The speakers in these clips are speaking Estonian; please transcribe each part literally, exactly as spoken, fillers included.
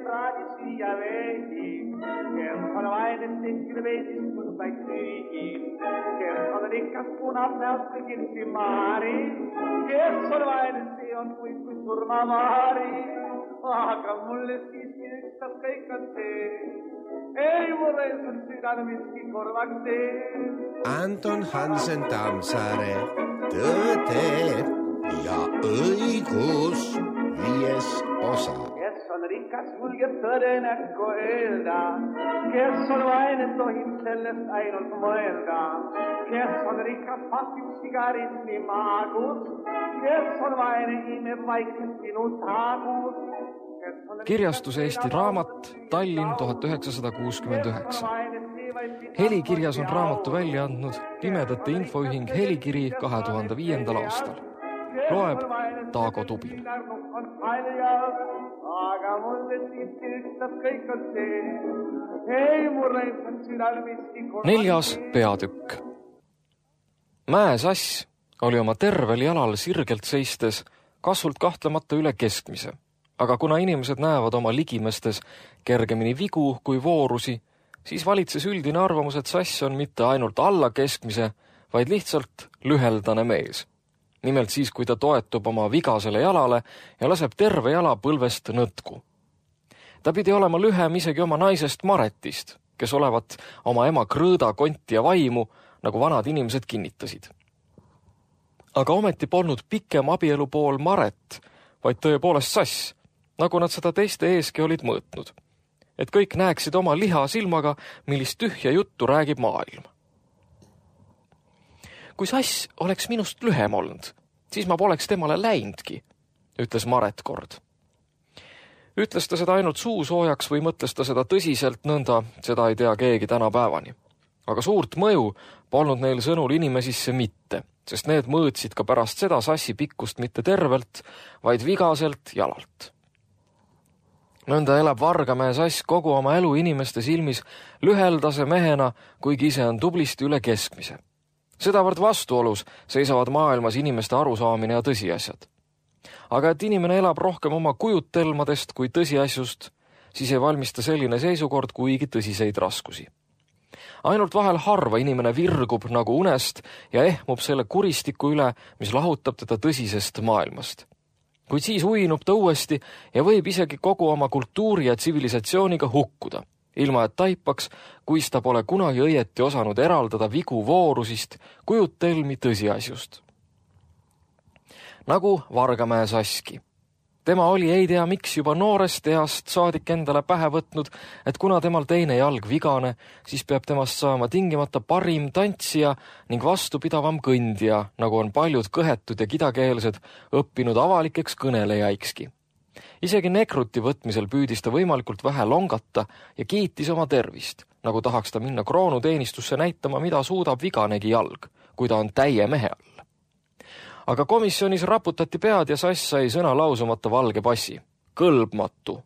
praadi süüa veidi, kes on vaene tehtil veidis mõndaid süügi, kes on rikas punab näost kõigil simaari, kes on vaene see on kuid kui surmamaari, aga mulle siiski ükstas kõik on see, ei mulle on südane miski korvaks see. Anton Hansen Tammsaare, Tõde ja õigus, viies osa. Kes on rikas, julgeb tõde näkku öelda, kes on vaene, tohib sellest ainult mõelda, kes on rikas, pasib sigaretti maagus, kes on vaene, imeb vaikselt sinu taagus. Kirjastus Eesti Raamat, Tallinn tuhat üheksasada kuuskümmend üheksa. Helikirjas on raamatu välja andnud Pimedate Infoühing Helikiri kahe tuhande viiendal aastal. Loeb Taago Tubin. Aga mulle siiski ükstas kõik on see, ei mulle on südal miski korvaks. Neljas peatükk. Mäesass oli oma tervel jalal sirgelt seistes kasvult kahtlemata üle keskmise. Aga kuna inimesed näevad oma ligimestes kergemini vigu kui voorusi, siis valitses üldine arvamus, et sass on mitte ainult alla keskmise, vaid lihtsalt lüheldane mees. Nimelt siis, kui ta toetub oma vigasele jalale ja laseb terve jala põlvest nõtku. Ta pidi olema lühem isegi oma naisest Maretist, kes olevat oma ema krõõda, konti ja vaimu, nagu vanad inimesed kinnitasid. Aga ometi polnud pikem abielu pool Maret, vaid tõepoolest sass, nagu nad seda teiste eeski olid mõõtnud, et kõik näeksid oma liha silmaga, millist tühja juttu räägib maailm. Kui sass oleks minust lühem olnud, siis ma poleks temale läinudki, ütles Maret kord. Ütles ta seda ainult suusoojaks või mõtles ta seda tõsiselt nõnda, seda ei tea keegi tänapäevani. Aga suurt mõju polnud neil sõnul inimesisse mitte, sest need mõõtsid ka pärast seda sassi pikkust mitte tervelt, vaid vigaselt jalalt. Nõnda elab Vargamäe sass kogu oma elu inimeste silmis lüheldase mehena, kuigi ise on tublisti üle keskmise. Sedavõrd vastuolus seisavad maailmas inimeste arusaamine ja tõsiasjad. Aga et inimene elab rohkem oma kujutelmadest kui tõsiasjust, siis ei valmista selline seisukord kuigi tõsiseid raskusi. Ainult vahel harva inimene virgub nagu unest ja ehmub selle kuristiku üle, mis lahutab teda tõsisest maailmast. Kuid siis uinub ta uuesti ja võib isegi kogu oma kultuuri ja tsivilisatsiooniga hukkuda, ilma et taipaks, kuis ta pole kunagi õieti osanud eraldada vigu voorusist, kujutelmi tõsiasjust. Nagu Vargamäe saski. Tema oli ei tea miks juba noorest east saadik endale pähe võtnud, et kuna temal teine jalg vigane, siis peab temast saama tingimata parim tantsija ning vastupidavam kõndija, nagu on paljud kõhetud ja kidakeelsed õppinud avalikeks kõnelejaikski. Isegi nekruti võtmisel püüdis ta võimalikult vähe longata ja kiitis oma tervist, nagu tahaks ta minna kroonuteenistusse näitama, mida suudab viganegi jalg, kui ta on täie mehe all. Aga komisjonis raputati pead ja sass sai sõna lausumata valge passi. Kõlbmatu.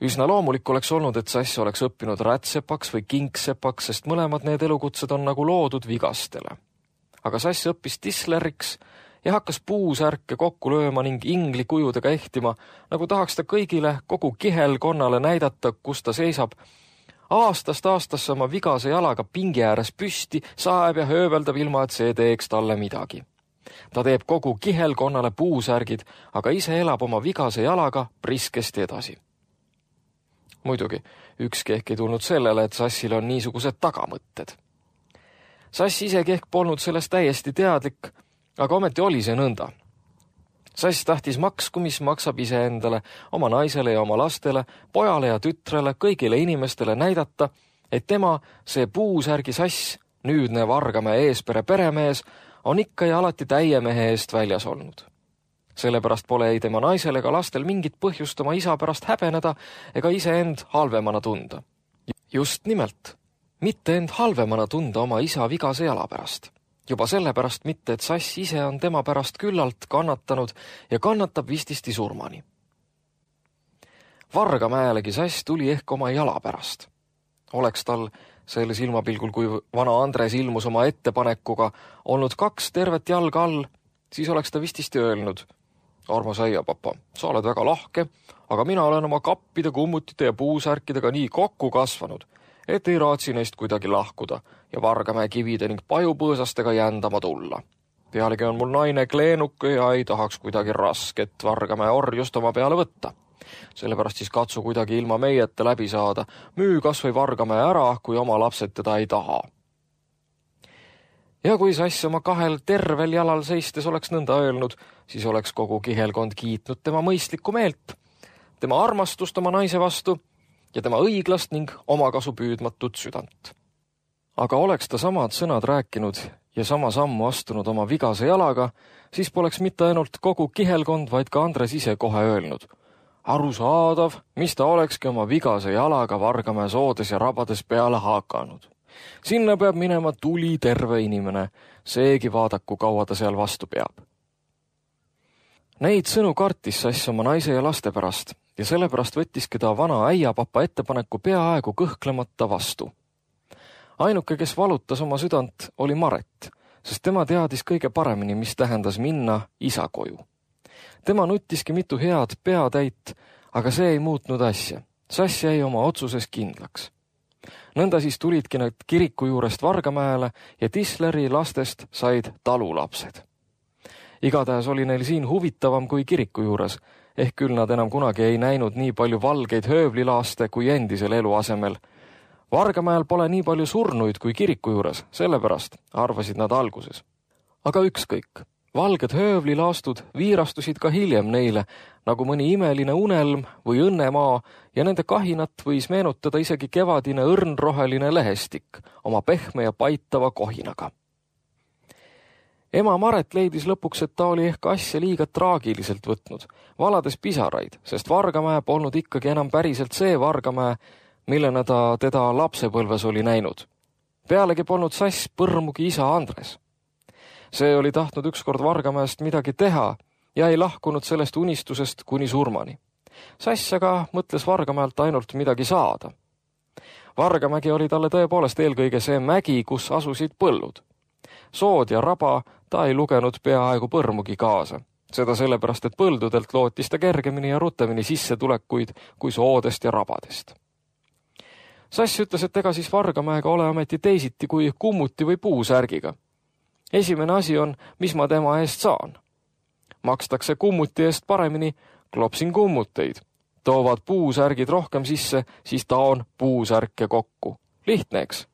Üsna loomulik oleks olnud, et sass oleks õppinud rätsepaks või kinksepaks, sest mõlemad need elukutsed on nagu loodud vigastele. Aga sass õppis tisleriks ja hakkas puusärke kokku lööma ning ingli kujudega ehtima, nagu tahaks ta kõigile kogu kihelkonnale näidata, kus ta seisab, aastast aastasse oma vigase jalaga pingi ääres püsti, saeb ja hööveldab ilma, et see teeks talle midagi. Ta teeb kogu kihelkonnale puusärgid, aga ise elab oma vigase jalaga priskesti edasi. Muidugi, ükski ehk ei tulnud sellele, et sassil on niisugused tagamõtted. Sass isegi ehk polnud sellest täiesti teadlik, aga ometi oli see nõnda. Sass tahtis maksku, mis maksab ise endale, oma naisele ja oma lastele, pojale ja tütrele, kõigile inimestele näidata, et tema, see puusärgi sass, nüüdne Vargamäe eespere peremees, on ikka ja alati täie mehe eest väljas olnud. Sellepärast pole ei tema naisel ega lastel mingit põhjust oma isa pärast häbeneda ega ise end halvemana tunda. Just nimelt, mitte end halvemana tunda oma isa vigase jala pärast. Juba sellepärast mitte, et sass ise on tema pärast küllalt kannatanud ja kannatab vististi surmani. Vargamäelegi sass tuli ehk oma jala pärast. Oleks tal selle silmapilgul, kui vana Andres ilmus oma ettepanekuga, olnud kaks tervet jalga all, siis oleks ta vististi öelnud, armas äiapapa, sa oled väga lahke, aga mina olen oma kappide, kummutite ja puusärkidega nii kokku kasvanud, et ei raatsi neist kuidagi lahkuda ja Vargamäe kivide ning pajupõõsastega jändama tulla. Pealegi on mul naine kleenuke ja ei tahaks kuidagi rasket Vargamäe orjust oma peale võtta. Sellepärast siis katsu kuidagi ilma meieta läbi saada, müü kas või Vargamäe ära, kui oma lapsed teda ei taha. Ja kui Sass oma kahel tervel jalal seistes oleks nõnda öelnud, siis oleks kogu kihelkond kiitnud tema mõistlikku meelt, tema armastust oma naise vastu ja tema õiglast ning omakasu püüdmatut südant. Aga oleks ta samad sõnad rääkinud ja sama sammu astunud oma vigase jalaga, siis poleks mitte ainult kogu kihelkond, vaid ka Andres ise kohe öelnud. Arusaadav, mis ta olekski oma vigase jalaga Vargamäe soodes ja rabades peale haakanud. Sinna peab minema tuli terve inimene, seegi vaadaku kaua ta seal vastu peab. Neid sõnu kartis Sass oma naise ja laste pärast ja sellepärast võttiski ta vana äiapapa ettepaneku peaaegu kõhklemata vastu. Ainuke, kes valutas oma südant, oli Maret, sest tema teadis kõige paremini, mis tähendas minna isa koju. Tema nuttiski mitu head peatäit, aga see ei muutnud asja. Sass jäi oma otsuses kindlaks. Nõnda siis tulidki nad kiriku juurest Vargamäele ja Tisleri lastest said talulapsed. Igatahes oli neil siin huvitavam kui kiriku juures, ehk küll nad enam kunagi ei näinud nii palju valgeid höövlilaaste kui endisel eluasemel. Vargamäel pole nii palju surnuid kui kiriku juures, sellepärast arvasid nad alguses. Aga ükskõik, valged höövlilaastud viirastusid ka hiljem neile, nagu mõni imeline unelm või õnnemaa ja nende kahinat võis meenutada isegi kevadine õrnroheline lehestik oma pehme ja paitava kohinaga. Ema Maret leidis lõpuks, et ta oli ehk asja liiga traagiliselt võtnud, valades pisaraid, sest Vargamäe polnud ikkagi enam päriselt see Vargamäe, millena ta teda lapsepõlves oli näinud. Pealegi polnud Sass põrmugi isa Andres. See oli tahtnud ükskord Vargamäest midagi teha ja ei lahkunud sellest unistusest kuni surmani. Sass aga mõtles Vargamäelt ainult midagi saada. Vargamägi oli talle tõepoolest eelkõige see mägi, kus asusid põllud. Sood ja raba ta ei lugenud peaaegu põrmugi kaasa. Seda sellepärast, et põldudelt lootis ta kergemini ja rutemini sissetulekuid kui soodest ja rabadest. Sass ütles, et ega siis Vargamäega ole ameti teisiti kui kummuti või puusärgiga. Esimene asi on, mis ma tema eest saan. Makstakse kummuti eest paremini, klopsin kummuteid. Toovad puusärgid rohkem sisse, siis taon puusärke kokku. Lihtne, eks?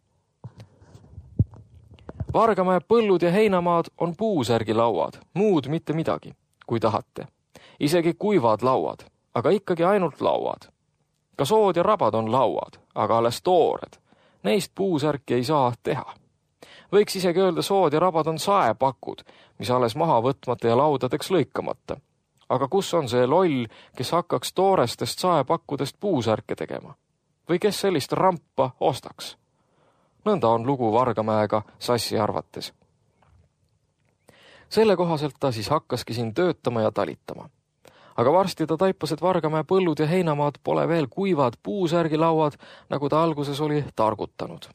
Vargamäe põllud ja heinamaad on puusärgilauad, muud mitte midagi, kui tahate. Isegi kuivad lauad, aga ikkagi ainult lauad. Ka sood ja rabad on lauad, aga alles toored. Neist puusärki ei saa teha. Võiks isegi öelda, sood ja rabad on saepakud, mis alles maha võtmata ja laudadeks lõikamata. Aga kus on see loll, kes hakkaks toorestest saepakkudest puusärke tegema? Või kes sellist rampa ostaks? Nõnda on lugu Vargamäega Sassi arvates. Selle kohaselt ta siis hakkaski siin töötama ja talitama. Aga varsti ta taipas, et Vargamäe põllud ja heinamaad pole veel kuivad puusärgilauad, nagu ta alguses oli targutanud.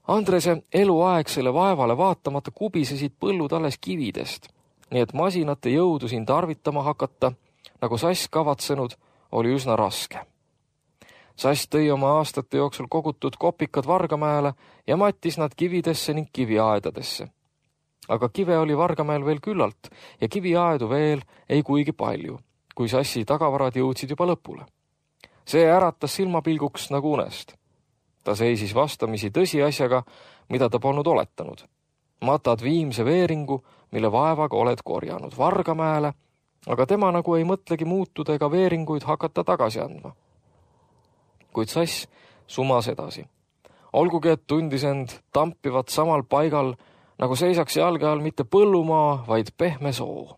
Andrese eluaegsele vaevale vaatamata kubisesid põllud alles kividest, nii et masinate jõudu siin tarvitama hakata, nagu Sass kavatsenud, oli üsna raske. Sass tõi oma aastate jooksul kogutud kopikad Vargamäele ja mattis nad kividesse ning kiviaedadesse. Aga kive oli Vargamäel veel küllalt ja kiviaedu veel ei kuigi palju, kui Sassi tagavarad jõudsid juba lõpule. See äratas silmapilguks nagu unest. Ta seisis vastamisi tõsiasjaga, mida ta polnud oletanud. Matad viimse veeringu, mille vaevaga oled korjanud Vargamäele, aga tema nagu ei mõtlegi muutuda ega veeringuid hakata tagasi andma. Kuid Sass sumas edasi. Olgugi, et tundis end tampivat samal paigal, nagu seisaks jalge all mitte põllumaa, vaid pehme soo.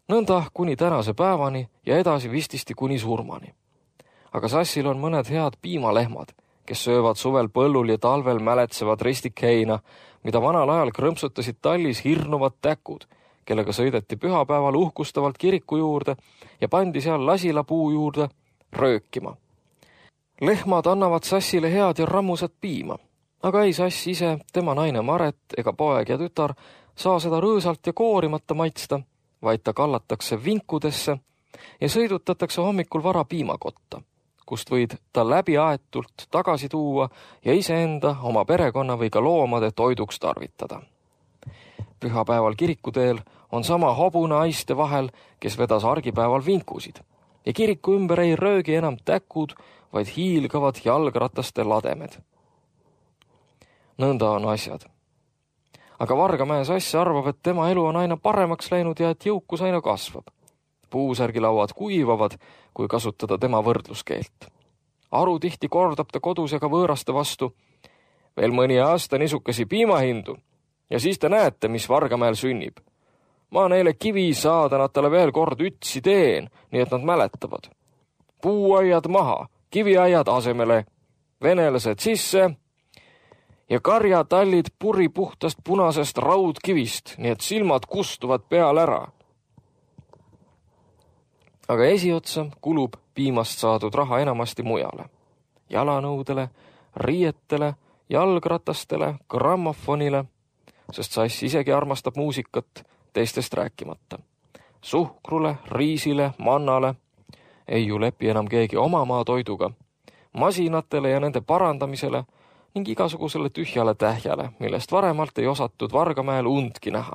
Nõnda kuni tänase päevani ja edasi vististi kuni surmani. Aga Sassil on mõned head piimalehmad, kes söövad suvel põllul ja talvel mäletsevad ristikheina, mida vanal ajal krõmpsutasid tallis hirnuvad täkud, kellega sõideti pühapäeval uhkustavalt kiriku juurde ja pandi seal lasilapuu juurde röökima. Lehmad annavad Sassile head ja rammusat piima, aga ei Sass ise, tema naine Maret ega poeg ja tütar saa seda rõõsalt ja koorimata maitsta, vaid ta kallatakse vinkudesse ja sõidutatakse hommikul vara piimakotta, kust võid ta läbi aetult tagasi tuua ja iseenda, oma perekonna või ka loomade toiduks tarvitada. Pühapäeval kirikuteel on sama hobune aiste vahel, kes vedas argipäeval vinkusid ja kiriku ümber ei röögi enam täkud, vaid hiilgavad jalgrataste lademed. Nõnda on asjad. Aga Vargamäe Sass arvab, et tema elu on aina paremaks läinud ja et jõukus aina kasvab. Puusärgilauad kuivavad, kui kasutada tema võrdluskeelt. Aru tihti kordab ta kodus ja ka võõraste vastu. Veel mõni aasta nisukesi piimahindu ja siis te näete, mis Vargamäel sünnib. Ma neile kivi saadanatele veel kord ütsi teen, nii et nad mäletavad. Puuaiad maha, kiviaiad asemele, venelased sisse ja karjatallid puri puhtast punasest raudkivist, nii et silmad kustuvad peal ära. Aga esiotsa kulub piimast saadud raha enamasti mujale. Jalanõudele, riietele, jalgratastele, grammofonile, sest Sass isegi armastab muusikat, teistest rääkimata. Suhkrule, riisile, mannale ei ju lepi enam keegi oma maa toiduga, masinatele ja nende parandamisele ning igasugusele tühjale tähjale, millest varemalt ei osatud Vargamäel undki näha.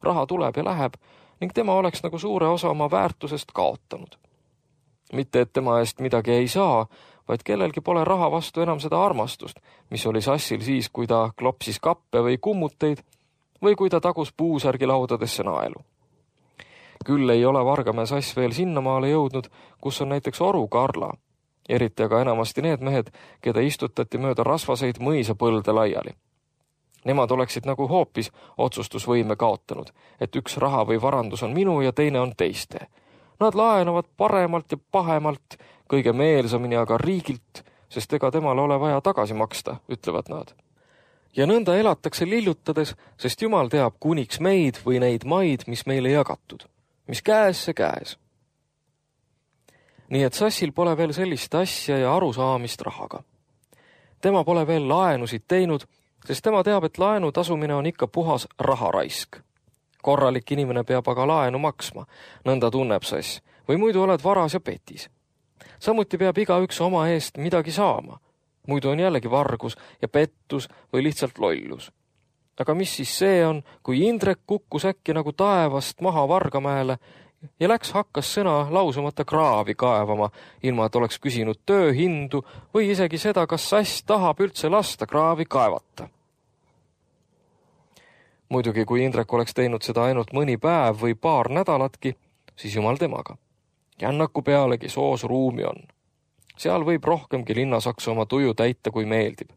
Raha tuleb ja läheb ning tema oleks nagu suure osa oma väärtusest kaotanud. Mitte, et tema eest midagi ei saa, vaid kellelgi pole raha vastu enam seda armastust, mis oli Sassil siis, kui ta klopsis kappe või kummuteid või kui ta tagus puusärgilaudadesse naelu. Küll ei ole Vargamäe Sass veel sinnamaale jõudnud, kus on näiteks Oru Karla, eriti aga enamasti need mehed, keda istutati mööda rasvaseid mõisapõlde laiali. Nemad oleksid nagu hoopis otsustusvõime kaotanud, et üks raha või varandus on minu ja teine on teiste. Nad laenavad paremalt ja pahemalt, kõige meelsamini aga riigilt, sest ega temale ole vaja tagasi maksta, ütlevad nad. Ja nõnda elatakse lillutades, sest Jumal teab kuniks meid või neid maid, mis meile jagatud, mis käes see käes. Nii et Sassil pole veel sellist asja ja arusaamist rahaga. Tema pole veel laenusid teinud, sest tema teab, et laenu tasumine on ikka puhas raharaisk. Korralik inimene peab aga laenu maksma, nõnda tunneb Sass, või muidu oled varas ja petis. Samuti peab igaüks oma eest midagi saama, muidu on jällegi vargus ja pettus või lihtsalt lollus. Aga mis siis see on, kui Indrek kukkus äkki nagu taevast maha Vargamäele ja läks hakkas sõna lausumata kraavi kaevama, ilma et oleks küsinud tööhindu või isegi seda, kas Sass tahab üldse lasta kraavi kaevata. Muidugi, kui Indrek oleks teinud seda ainult mõni päev või paar nädalatki, siis jumal temaga. Jännaku pealegi soos ruumi on. Seal võib rohkemgi linnasaksu oma tuju täita, kui meeldib.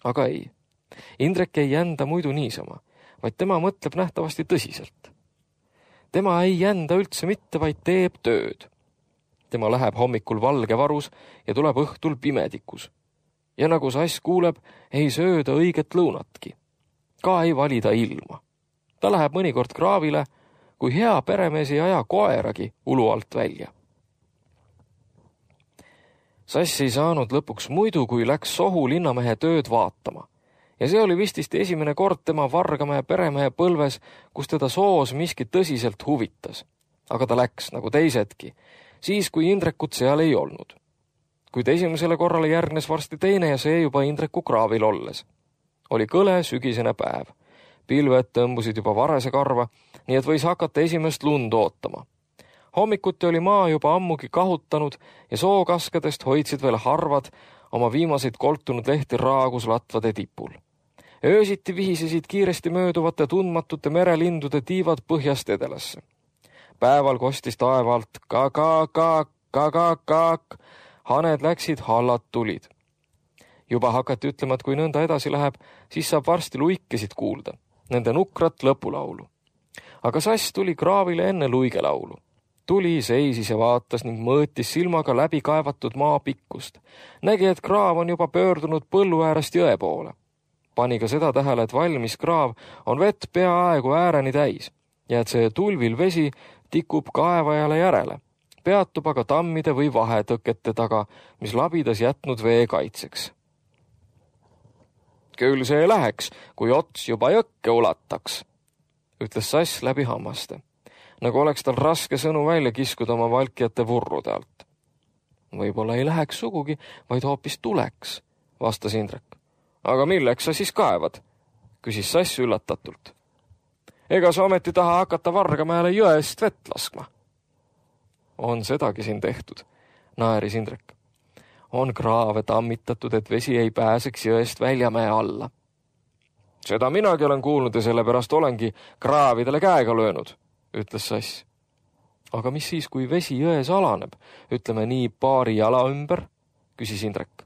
Aga ei. Indrek ei jända muidu niisama, vaid tema mõtleb nähtavasti tõsiselt. Tema ei jända üldse mitte, vaid teeb tööd. Tema läheb hommikul valge varus ja tuleb õhtul pimedikus. Ja nagu Sass kuuleb, ei sööda õiget lõunatki. Ka ei valida ilma. Ta läheb mõnikord kraavile, kui hea peremees ei aja koeragi ulu alt välja. Sass ei saanud lõpuks muidu, kui läks Sohu linnamehe tööd vaatama. Ja see oli vististi esimene kord tema Vargamäe peremehe põlves, kus teda soos miski tõsiselt huvitas. Aga ta läks, nagu teisedki, siis kui Indrekut seal ei olnud. Kuid esimesele korrale järgnes varsti teine ja see juba Indreku kraavil olles. Oli kõle sügisene päev. Pilved tõmbusid juba varese karva, nii et võis hakata esimest lund ootama. Hommikuti oli maa juba ammugi kahutanud ja sookaskedest hoidsid veel harvad oma viimaseid koltunud lehti raagus latvade tipul. Öösiti vihisesid kiiresti mööduvate tundmatute merelindude tiivad põhjast edelasse. Päeval kostis taevaalt ka-ka-ka, ka-ka-ka, haned läksid, hallad tulid. Juba hakati ütlema, et kui nõnda edasi läheb, siis saab varsti luikesid kuulda, nende nukrat lõpulaulu. Aga Sass tuli kraavile enne luigelaulu. Tuli, seisis ja vaatas ning mõõtis silmaga läbi kaevatud maa pikkust. Nägi, et kraav on juba pöördunud põllu äärest jõe poole. Pani ka seda tähele, et valmis kraav on vett peaaegu ääreni täis ja et see tulvil vesi tikub kaevajale järele. Peatub aga tammide või vahetõkete taga, mis labidas jätnud vee kaitseks. Küll see läheks, kui ots juba jõkke ulataks, ütles Sass läbi hammaste, nagu oleks tal raske sõnu välja kiskuda oma valkjate vurrude alt. Võib-olla ei läheks sugugi, vaid hoopis tuleks, vastas Indrek. Aga milleks sa siis kaevad? Küsis Sass üllatatult. Ega sa ometi taha hakata Vargamäele jõest vett laskma? On sedagi siin tehtud, naeris Indrek. On kraave tammitatud, et vesi ei pääseks jõest väljamäe alla. Seda minagi olen kuulnud ja sellepärast olengi kraavidele käega löönud, ütles Sass. Aga mis siis, kui vesi jões alaneb, ütleme nii paari jala ümber, küsis Indrek.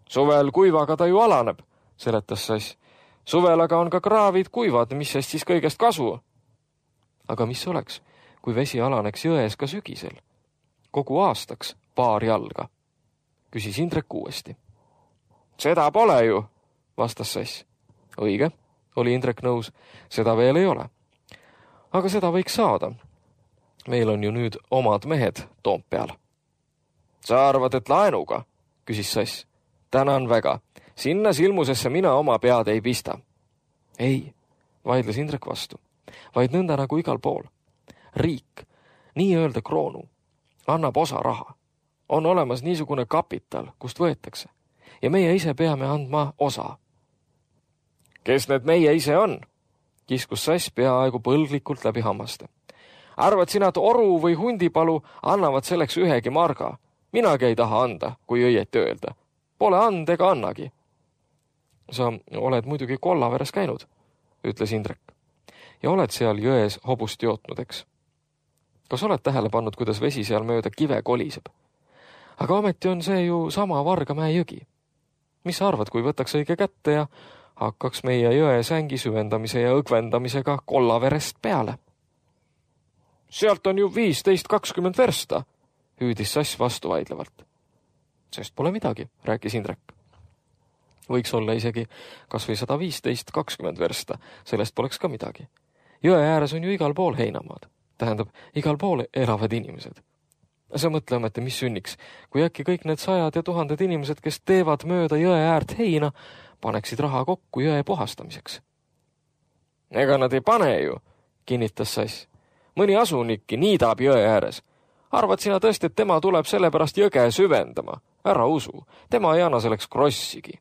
Suvel kuivaga ta ju alaneb, seletas Sass. Suvel aga on ka kraavid kuivad, mis sest siis kõigest kasu. Aga mis oleks, kui vesi alaneks jões ka sügisel? Kogu aastaks paar jalga, küsis Indrek uuesti. Seda pole ju, vastas Sass. Õige, oli Indrek nõus, seda veel ei ole. Aga seda võiks saada. Meil on ju nüüd omad mehed Toompeal. Sa arvad, et laenuga, küsis Sass. Tänan väga. Sinna silmusesse mina oma pead ei pista. Ei, vaidles Indrek vastu, vaid nõnda nagu igal pool. Riik, nii-öelda kroonu, annab osa raha. On olemas niisugune kapital, kust võetakse. Ja meie ise peame andma osa. Kes need meie ise on? Kiskus Sass peaaegu põlglikult läbi hammaste. Arvad sina, et oru või hundipalu annavad selleks ühegi marga? Minagi ei taha anda, kui õieti öelda. Pole and ega annagi. Sa oled muidugi Kollaveres käinud, ütles Indrek. Ja oled seal jões hobust jootnud, eks? Kas oled tähele pannud, kuidas vesi seal mööda kive koliseb? Aga ometi on see ju sama Vargamäe jõgi. Mis sa arvad, kui võtaks õige kätte ja hakkaks meie jõe sängi süvendamise ja õgvendamisega Kollaverest peale? Sealt on ju viisteist kakskümmend versta, hüüdis Sass vastuvaidlevalt. Sest pole midagi, rääkis Indrek. Võiks olla isegi kas või sada viisteist kakskümmend versta, sellest poleks ka midagi. Jõe ääres on ju igal pool heinamaad, tähendab, igal pool elavad inimesed. Sa mõtle ometi, mis sünniks, kui äkki kõik need sajad ja tuhanded inimesed, kes teevad mööda jõe äärt heina, paneksid raha kokku jõe puhastamiseks. Ega nad ei pane ju, kinnitas Sass. Mõni asunikki niidab jõe ääres. Arvad sina tõesti, et tema tuleb sellepärast jõge süvendama? Ära usu, tema ei anna selleks krossigi.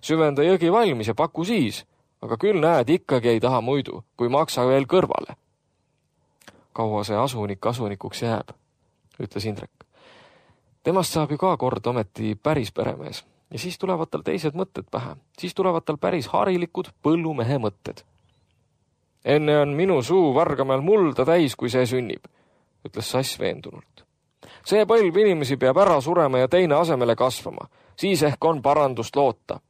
Süvenda jõgi valmis ja paku siis, aga küll näed, ikkagi ei taha muidu, kui maksa veel kõrvale. Kaua see asunik asunikuks jääb, ütles Indrek. Temast saab ju ka kord ometi päris peremees ja siis tulevad tal teised mõtted pähe. Siis tulevad tal päris harilikud põllumehe mõtted. Enne on minu suu Vargamäel mulda täis, kui see sünnib, ütles Sass veendunult. See põlv inimesi peab ära surema ja teine asemele kasvama. Siis ehk on parandust loota.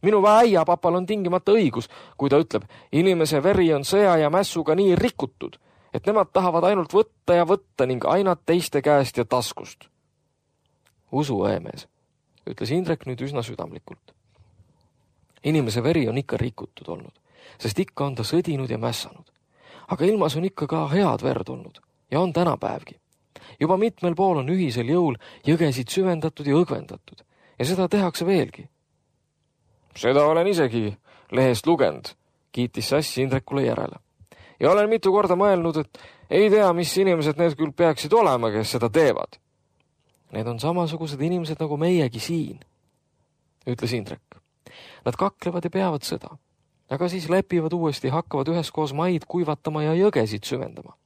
Minu äiapapal on tingimata õigus, kui ta ütleb, inimese veri on sõja ja mässuga nii rikutud, et nemad tahavad ainult võtta ja võtta ning aina teiste käest ja taskust. Usu, õemees, ütles Indrek nüüd üsna südamlikult. Inimese veri on ikka rikutud olnud, sest ikka on ta sõdinud ja mässanud. Aga ilmas on ikka ka head verd olnud ja on tänapäevgi. Juba mitmel pool on ühisel jõul jõgesid süvendatud ja õgvendatud ja seda tehakse veelgi. Seda olen isegi lehest lugend, kiitis Sass Indrekule järele. Ja olen mitu korda mõelnud, et ei tea, mis inimesed need küll peaksid olema, kes seda teevad. Need on samasugused inimesed nagu meiegi siin, ütles Indrek. Nad kaklevad ja peavad seda, aga siis lepivad uuesti ja hakkavad üheskoos maid kuivatama ja jõgesid süvendama.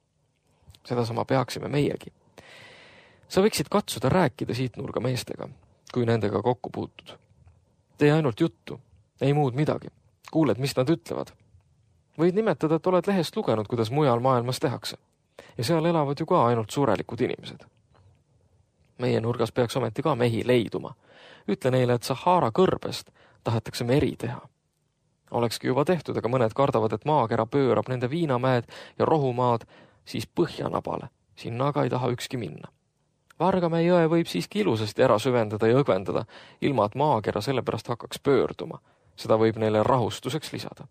Sedasama peaksime meiegi. Sa võiksid katsuda rääkida siit nurga meestega, kui nendega kokku puutud. Tee ainult juttu, ei muud midagi. Kuuled, mis nad ütlevad. Võid nimetada, et oled lehest lugenud, kuidas mujal maailmas tehakse. Ja seal elavad ju ka ainult suurelikud inimesed. Meie nurgas peaks ometi ka mehi leiduma. Ütle neile, et Sahara kõrbest tahetakse meri teha. Olekski juba tehtud, aga mõned kardavad, et maakera pöörab nende viinamäed ja rohumaad siis põhjanabale. Sinna aga ei taha ükski minna. Vargamäe jõe võib siiski ilusasti ära süvendada ja õgvendada, ilma et maakera sellepärast hakkaks pöörduma. Seda võib neile rahustuseks lisada.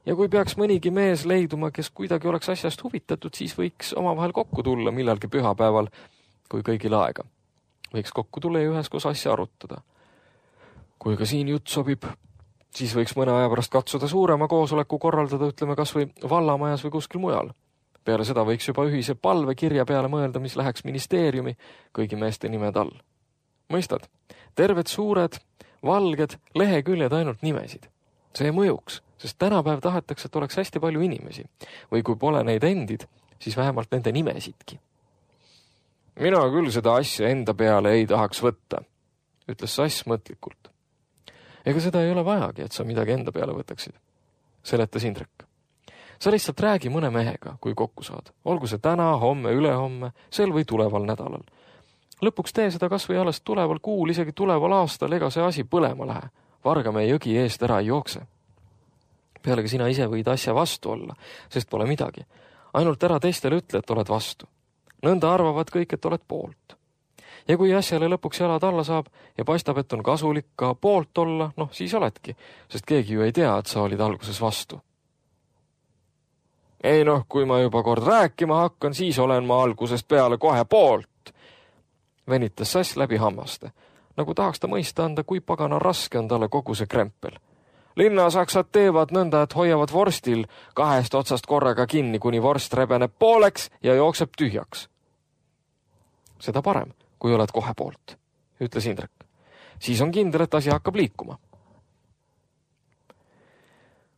Ja kui peaks mõnigi mees leiduma, kes kuidagi oleks asjast huvitatud, siis võiks omavahel kokku tulla millalgi pühapäeval, kui kõigil aega. Võiks kokku tulla ja üheskoos asja arutada. Kui ka siin jutt sobib, Siis võiks mõne aja pärast katsuda suurema koosoleku korraldada, ütleme kas või vallamajas või kuskil mujal. Peale seda võiks juba ühise palvekirja peale mõelda, mis läheks ministeeriumi kõigi meeste nimed all. Mõistad, terved suured, valged leheküljed ainult nimesid. See mõjuks, sest tänapäev tahetakse, et oleks hästi palju inimesi. Või kui pole neid endid, siis vähemalt nende nimesidki. Mina küll seda asja enda peale ei tahaks võtta, ütles Sass mõtlikult. Ega seda ei ole vajagi, et sa midagi enda peale võtaksid, seletas Indrek. Sa lihtsalt räägi mõne mehega, kui kokku saad. Olgu see täna, homme, ülehomme, sel või tuleval nädalal. Lõpuks tee seda kas või alles tuleval kuul, isegi tuleval aastal, ega see asi põlema lähe. Vargamäe jõgi eest ära ei jookse. Pealegi sina ise võid asja vastu olla, sest pole midagi. Ainult ära teistele ütle, et oled vastu. Nõnda arvavad kõik, et oled poolt. Ja kui asjale lõpuks jalad alla saab ja paistab, et on kasulik ka poolt olla, noh, siis oledki, sest keegi ju ei tea, et sa olid alguses vastu. Ei noh, kui ma juba kord rääkima hakkan, siis olen ma algusest peale kohe poolt, venitas Sass läbi hammaste, nagu tahaks ta mõista anda, kui pagana raske on talle kogu see krempel. Linnasaksad teevad nõnda, et hoiavad vorstil kahest otsast korraga kinni, kuni vorst rebeneb pooleks ja jookseb tühjaks. Seda parem, kui oled kohe poolt, ütles Indrek. Siis on kindel, et asi hakkab liikuma.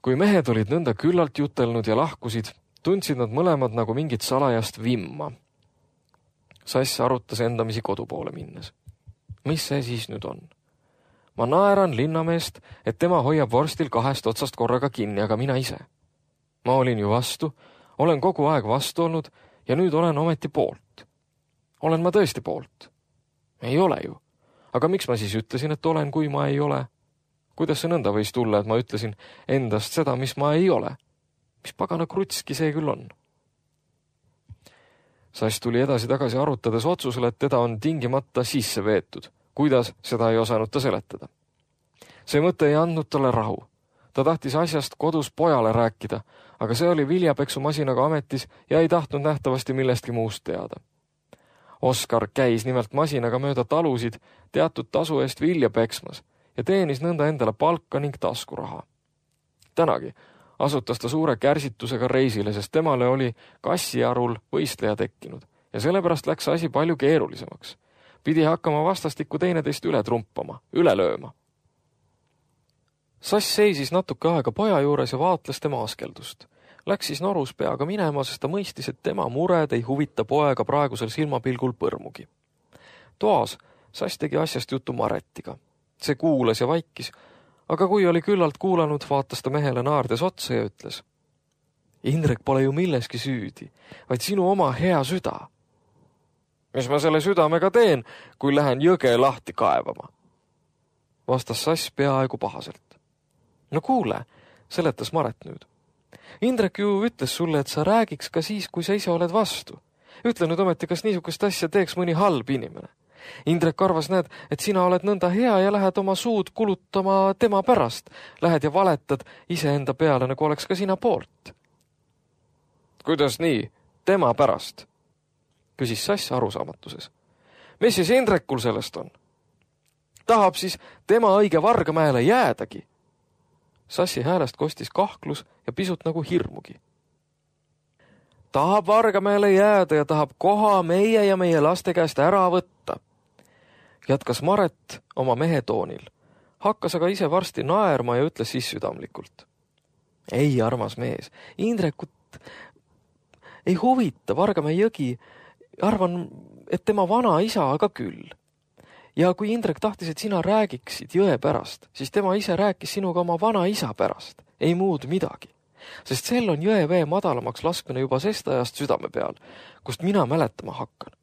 Kui mehed olid nõnda küllalt jutelnud ja lahkusid, tundsid nad mõlemad nagu mingit salajast vimma. Sass arutas endamisi kodu poole minnes. Mis see siis nüüd on? Ma naeran linnameest, et tema hoiab vorstil kahest otsast korraga kinni, aga mina ise. Ma olin ju vastu, olen kogu aeg vastu olnud ja nüüd olen ometi poolt. Olen ma tõesti poolt? Ei ole ju. Aga miks ma siis ütlesin, et olen, kui ma ei ole? Kuidas see nõnda võis tulla, et ma ütlesin endast seda, mis ma ei ole? Mis pagana krutski see küll on? Sass tuli edasi tagasi arutades otsusele, et teda on tingimata sisse veetud. Kuidas, seda ei osanud ta seletada. See mõte ei andnud talle rahu. Ta tahtis asjast kodus pojale rääkida, aga see oli viljapeksumasinaga ametis ja ei tahtnud nähtavasti millestki muust teada. Oskar käis nimelt masinaga mööda talusid teatud tasu eest vilja peksmas ja teenis nõnda endale palka ning taskuraha. Tänagi asutas ta suure kärsitusega reisile, sest temale oli kassiarul võistleja tekkinud ja sellepärast läks asi palju keerulisemaks. Pidi hakkama vastastikku teineteist üle trumpama, üle lööma. Sass seisis natuke aega poja juures ja vaatles tema askeldust. Läks siis norus peaga minema, sest ta mõistis, et tema mured ei huvita poega praegusel silmapilgul põrmugi. Toas Sass tegi asjast jutu Maretiga. See kuulas ja vaikis, aga kui oli küllalt kuulanud, vaatas ta mehele naardes otsa ja ütles: Indrek pole ju milleski süüdi, vaid sinu oma hea süda. Mis ma selle südamega teen, kui lähen jõge lahti kaevama? Vastas Sass peaaegu pahaselt. No kuule, seletas Maret nüüd. Indrek ju ütles sulle, et sa räägiks ka siis, kui sa ise oled vastu. Ütle nüüd ometi, kas niisugust asja teeks mõni halb inimene. Indrek arvas, näed, et sina oled nõnda hea ja lähed oma suud kulutama tema pärast. Lähed ja valetad iseenda peale, nagu oleks ka sina poolt. Kuidas nii? Tema pärast? Küsis Sass arusaamatuses. Mis siis Indrekul sellest on? Tahab siis tema õige Vargamäele jäädagi? Sassi häälest kostis kahklus ja pisut nagu hirmugi. Tahab Vargamäele jääda ja tahab koha meie ja meie laste käest ära võtta. Jatkas Maret oma mehe toonil. Hakkas aga ise varsti naerma ja ütles siis südamlikult. Ei, armas mees, Indrekut ei huvita Vargamäe jõgi. Arvan, et tema vana isa aga küll. Ja kui Indrek tahtis, et sina räägiksid jõe pärast, siis tema ise rääkis sinuga oma vana isa pärast. Ei muud midagi. Sest sel on jõe vee madalamaks laskmine juba sest ajast südame peal, kust mina mäletama hakkan.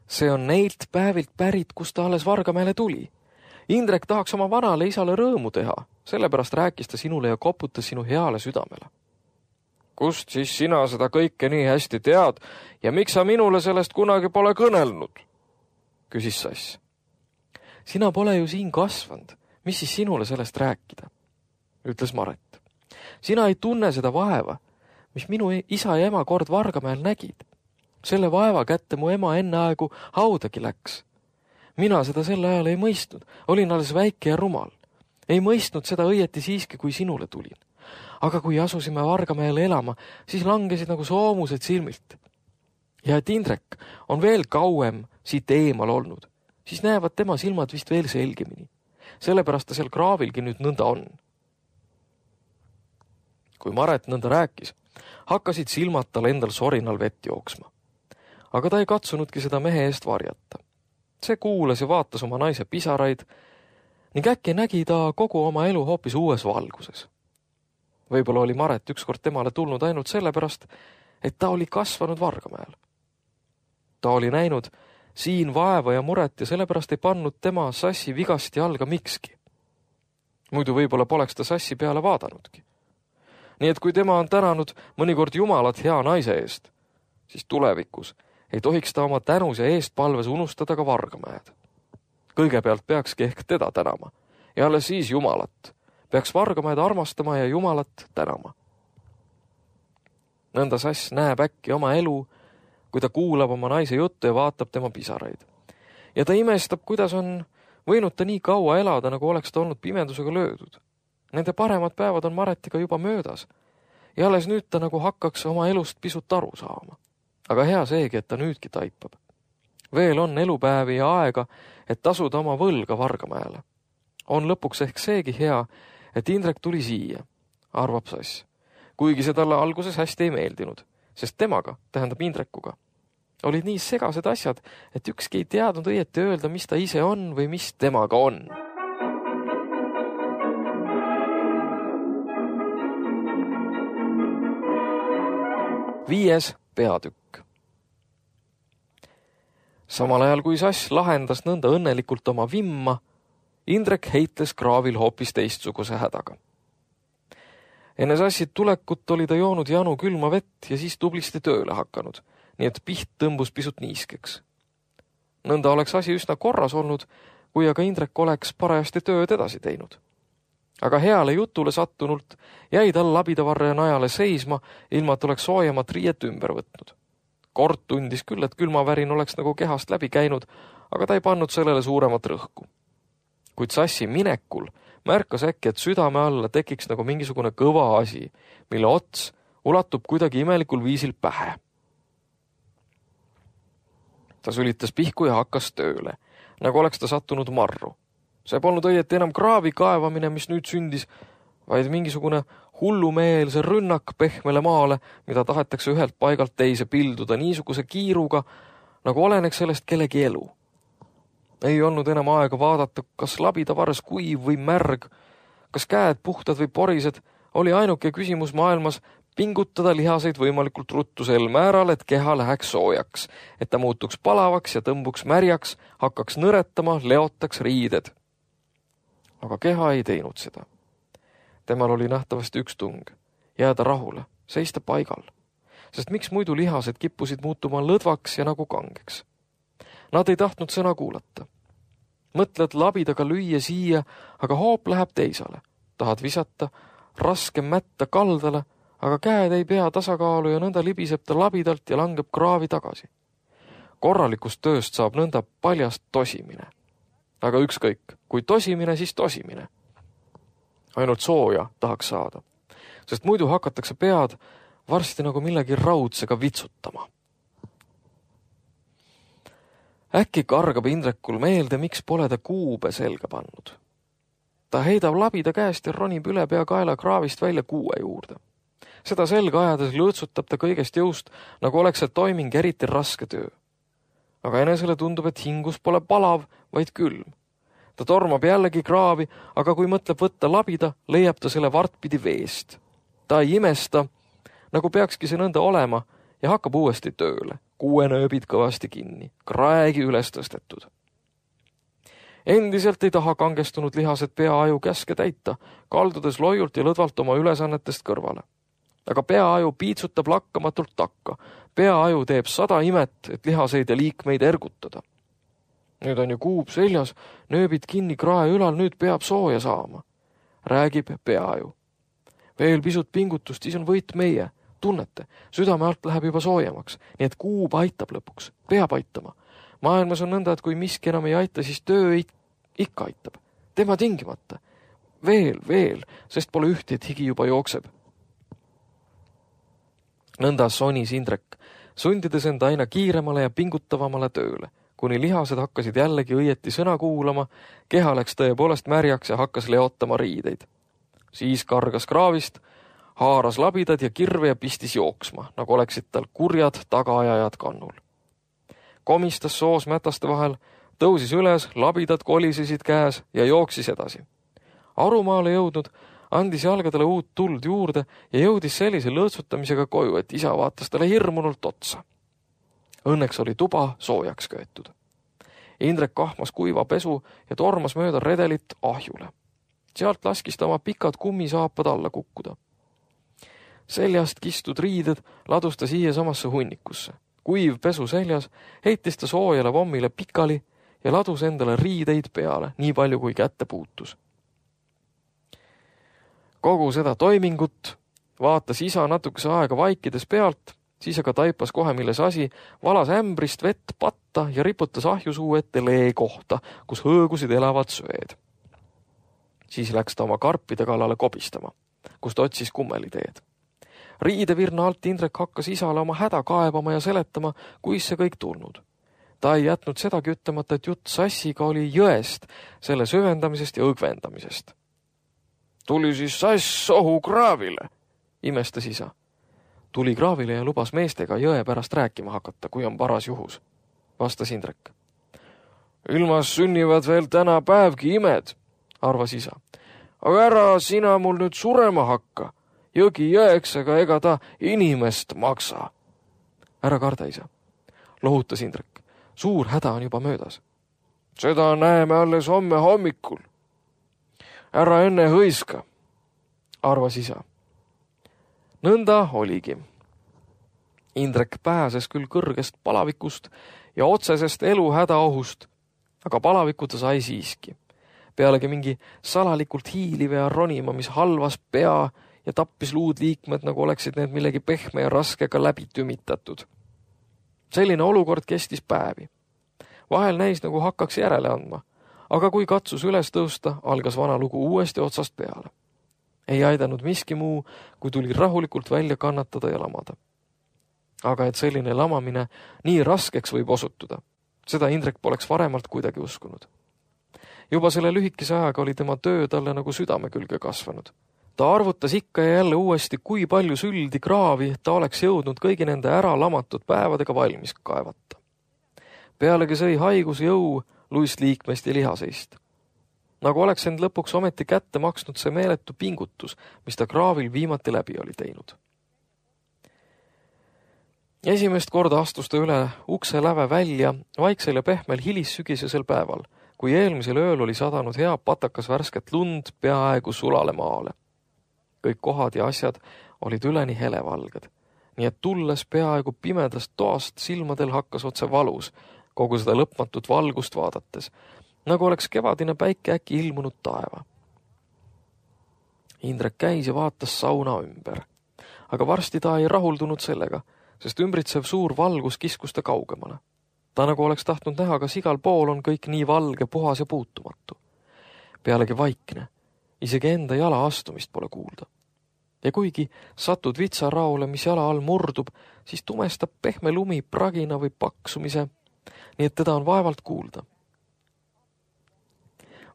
See on neilt päevilt pärit, kust ta alles Vargamäele tuli. Indrek tahaks oma vanale isale rõõmu teha, sellepärast rääkis ta sinule ja koputas sinu heale südamele. Kust siis sina seda kõike nii hästi tead ja miks sa minule sellest kunagi pole kõnelnud? Küsis Sass. Sina pole ju siin kasvanud, mis siis sinule sellest rääkida? Ütles Maret. Sina ei tunne seda vaeva, mis minu isa ja ema kord Vargamäel nägid. Selle vaeva kätte mu ema enne aegu haudagi läks. Mina seda sel ajal ei mõistnud, olin alles väike ja rumal. ei mõistnud seda õieti siiski, kui sinule tulin. Aga kui asusime Vargamäele elama, siis langesid nagu soomused silmilt. Ja et Indrek on veel kauem siit eemal olnud, siis näevad tema silmad vist veel selgemini. Sellepärast ta seal kraavilgi nüüd nõnda on. Kui Maret nõnda rääkis, hakkasid silmad tal endal sorinal vett jooksma. Aga ta ei katsunudki seda mehe eest varjata. See kuulas ja vaatas oma naise pisaraid ning äkki nägi ta kogu oma elu hoopis uues valguses. Võib-olla oli Maret ükskord temale tulnud ainult sellepärast, et ta oli kasvanud Vargamäel. Ta oli näinud siin vaeva ja muret ja sellepärast ei pannud tema Sassi vigasti alga mikski. Muidu võib-olla poleks ta Sassi peale vaadanudki. Nii et kui tema on tänanud mõnikord Jumalat hea naise eest, siis tulevikus ei tohiks ta oma tänus ja eestpalves unustada ka Vargamäed. Kõigepealt peakski ehk teda tänama ja alles siis Jumalat. Peaks Vargamäed armastama ja Jumalat tänama. Nõnda Sass näeb äkki oma elu, kui ta kuulab oma naise juttu ja vaatab tema pisaraid. Ja ta imestab, kuidas on võinud ta nii kaua elada, nagu oleks ta olnud pimendusega löödud. Nende paremad päevad on Maretiga juba möödas ja alles nüüd ta nagu hakkaks oma elust pisut aru saama. Aga hea seegi, et ta nüüdki taipab. Veel on elupäevi ja aega, et tasuda oma võlga Vargamäele. On lõpuks ehk seegi hea, et Indrek tuli siia, arvab Sass, kuigi see talle alguses hästi ei meeldinud, sest temaga, tähendab Indrekuga, olid nii segased asjad, et ükski ei teadnud õieti öelda, mis ta ise on või mis temaga on. Viies peatükk. Samal ajal kui Sass lahendas nõnda õnnelikult oma vimma, Indrek heitles kraavil hoopis teistsuguse hädaga. Enne Sassid tulekut oli ta joonud janu külma vett ja siis tublisti tööle hakanud, nii et piht tõmbus pisut niiskeks. Nõnda oleks asi üsna korras olnud, kui aga Indrek oleks parajasti tööd edasi teinud. Aga heale jutule sattunult jäi tal labidavarre najale seisma, ilma et oleks soojemat riiet ümber võtnud. Kord tundis küll, et külmavärin oleks nagu kehast läbi käinud, aga ta ei pannud sellele suuremat rõhku. Kuid Sassi minekul märkas äkki, et südame alla tekiks nagu mingisugune kõva asi, mille ots ulatub kuidagi imelikul viisil pähe. Ta sülitas pihku ja hakkas tööle, nagu oleks ta sattunud marru. See polnud õieti enam kraavi kaevamine, mis nüüd sündis, vaid mingisugune hullumeelse rünnak pehmele maale, mida tahetakse ühelt paigalt teise pilduda niisuguse kiiruga, nagu oleneks sellest kellegi elu. Ei olnud enam aega vaadata, kas labidavarres kuiv või märg, kas käed puhtad või porised, oli ainuke küsimus maailmas pingutada lihaseid võimalikult ruttu sel määral, et keha läheks soojaks, et ta muutuks palavaks ja tõmbuks märjaks, hakkaks nõretama, leotaks riided. Aga keha ei teinud seda. Temal oli nähtavasti üks tung, jääda rahule, seista paigal, sest miks muidu lihased kippusid muutuma lõdvaks ja nagu kangeks. Nad ei tahtnud sõna kuulata. Mõtled labidaga lüüa siia, aga hoop läheb teisale. Tahad visata, raske mätta kaldale, aga käed ei pea tasakaalu ja nõnda libiseb ta labidalt ja langeb kraavi tagasi. Korralikust tööst saab nõnda paljast tosimine. Aga ükskõik, kui tosimine, siis tosimine. Ainult sooja tahaks saada, sest muidu hakatakse pead varsti nagu millegi raudsega vitsutama. Äkki kargab Indrekul meelde, miks pole ta kuube selga pannud. Ta heidab labida käest ja ronib üle pea kaela kraavist välja kuue juurde. Seda selga ajades lõõtsutab ta kõigest jõust, nagu oleks see toiming eriti raske töö. Aga enesele tundub, et hingus pole palav, vaid külm. Ta tormab jällegi kraavi, aga kui mõtleb võtta labida, leiab ta selle vartpidi veest. Ta ei imesta, nagu peakski see nõnda olema, ja hakkab uuesti tööle. Kuue nööbid kõvasti kinni, kraegi üles tõstetud. Endiselt ei taha kangestunud lihased peaaju käske täita, kaldudes loiult ja lõdvalt oma ülesannetest kõrvale. Aga peaaju piitsutab lakkamatult takka. Peaaju teeb sada imet, et lihaseid ja liikmeid ergutada. Nüüd on ju kuub seljas, nööbid kinni krae ülal, nüüd peab sooja saama. Räägib peaaju. Veel pisut pingutust, siis on võit meie. Tunnete, südame alt läheb juba soojemaks, nii et kuub aitab lõpuks, peab aitama. Maailmas on nõnda, et kui miski enam ei aita, siis töö ikka aitab. Tema tingimata. veel, veel, sest pole ühti, et higi juba jookseb. Nõnda sonis Indrek, sundides enda aina kiiremale ja pingutavamale tööle, kuni lihased hakkasid jällegi õieti sõna kuulama, keha läks tõepoolest märjaks ja hakkas leotama riideid. Siis kargas kraavist, haaras labidad ja kirve ja pistis jooksma, nagu oleksid tal kurjad tagaajajad kannul. Komistas soos mätaste vahel, tõusis üles, labidad kolisesid käes ja jooksis edasi. Arumaale jõudnud, andis jalgadele uut tuld juurde ja jõudis sellise lõõtsutamisega koju, et isa vaatas talle hirmunult otsa. Õnneks oli tuba soojaks köetud. Indrek kahmas kuiva pesu ja tormas mööda redelit ahjule. Sealt laskis ta oma pikad kummisaapad alla kukkuda. Seljast kistud riided ladus ta siia samasse hunnikusse. Kuiv pesu seljas heitis ta soojale vommile pikali ja ladus endale riideid peale, nii palju kui kätte puutus. Kogu seda toimingut vaatas isa natukese aega vaikides pealt, siis aga taipas kohe milles asi, valas ämbrist vett patta ja riputas ahjusuu ette lee kohta, kus hõõgusid elavad söed. Siis läks ta oma karpide kallale kobistama, kust otsis kummeliteed. Riidevirna alt Indrek hakkas isale oma häda kaebama ja seletama, kuis see kõik tulnud. Ta ei jätnud sedagi ütlemata, et jutt sassiga oli jõest, selle süvendamisest ja õgvendamisest. Tuli siis sass sohu kraavile, imestas isa. Tuli kraavile ja lubas meestega jõe pärast rääkima hakata, kui on paras juhus, vastas Indrek. Ilmas sünnivad veel täna päevgi imed, arvas isa. Aga ära sina mul nüüd surema hakka. Jõgi jõeks, aga ega ta inimest maksa. Ära karda, isa, lohutas Indrek. Suur häda on juba möödas. Seda näeme alles homme hommikul. Ära enne hõiska, arvas isa. Nõnda oligi. Indrek pääses küll kõrgest palavikust ja otsesest eluhädaohust, aga palaviku ta sai siiski. Pealegi mingi salalikult hiiliv ja ronima, mis halvas pea ja tappis luud liikmed, nagu oleksid need millegi pehme ja raskega läbi tümitatud. Selline olukord kestis päevi. Vahel näis, nagu hakkaks järele andma, aga kui katsus üles tõusta, algas vana lugu uuesti otsast peale. Ei aidanud miski muu, kui tuli rahulikult välja kannatada ja lamada. Aga et selline lamamine nii raskeks võib osutuda, seda Indrek poleks varemalt kuidagi uskunud. Juba selle lühikese ajaga oli tema töö talle nagu südame külge kasvanud. Ta arvutas ikka ja jälle uuesti, kui palju süldi kraavi ta oleks jõudnud kõigi nende ära lamatud päevadega valmis kaevata. Pealegi sõi haigus jõu luist liikmest ja lihaseist. Nagu oleks end lõpuks ometi kätte maksnud see meeletu pingutus, mis ta kraavil viimati läbi oli teinud. Esimest korda astus ta üle ukse läve välja vaiksel ja pehmel hilissügisesel päeval, kui eelmisel ööl oli sadanud hea patakas värsket lund peaaegu sulale maale. Kõik kohad ja asjad olid üleni helevalged, nii et tulles peaaegu pimedast toast silmadel hakkas otse valus kogu seda lõpmatut valgust vaadates, nagu oleks kevadine päike äkki ilmunud taeva. Indrek käis ja vaatas sauna ümber, aga varsti ta ei rahuldunud sellega, sest ümbritsev suur valgus kiskus ta kaugemale. Ta nagu oleks tahtnud näha, kas igal pool on kõik nii valge, puhas ja puutumatu. Pealegi vaikne, isegi enda jala astumist pole kuulda. Ja kuigi satud vitsaraole, mis jala all murdub, siis tumestab pehme lumi pragina või paksumise, nii et teda on vaevalt kuulda.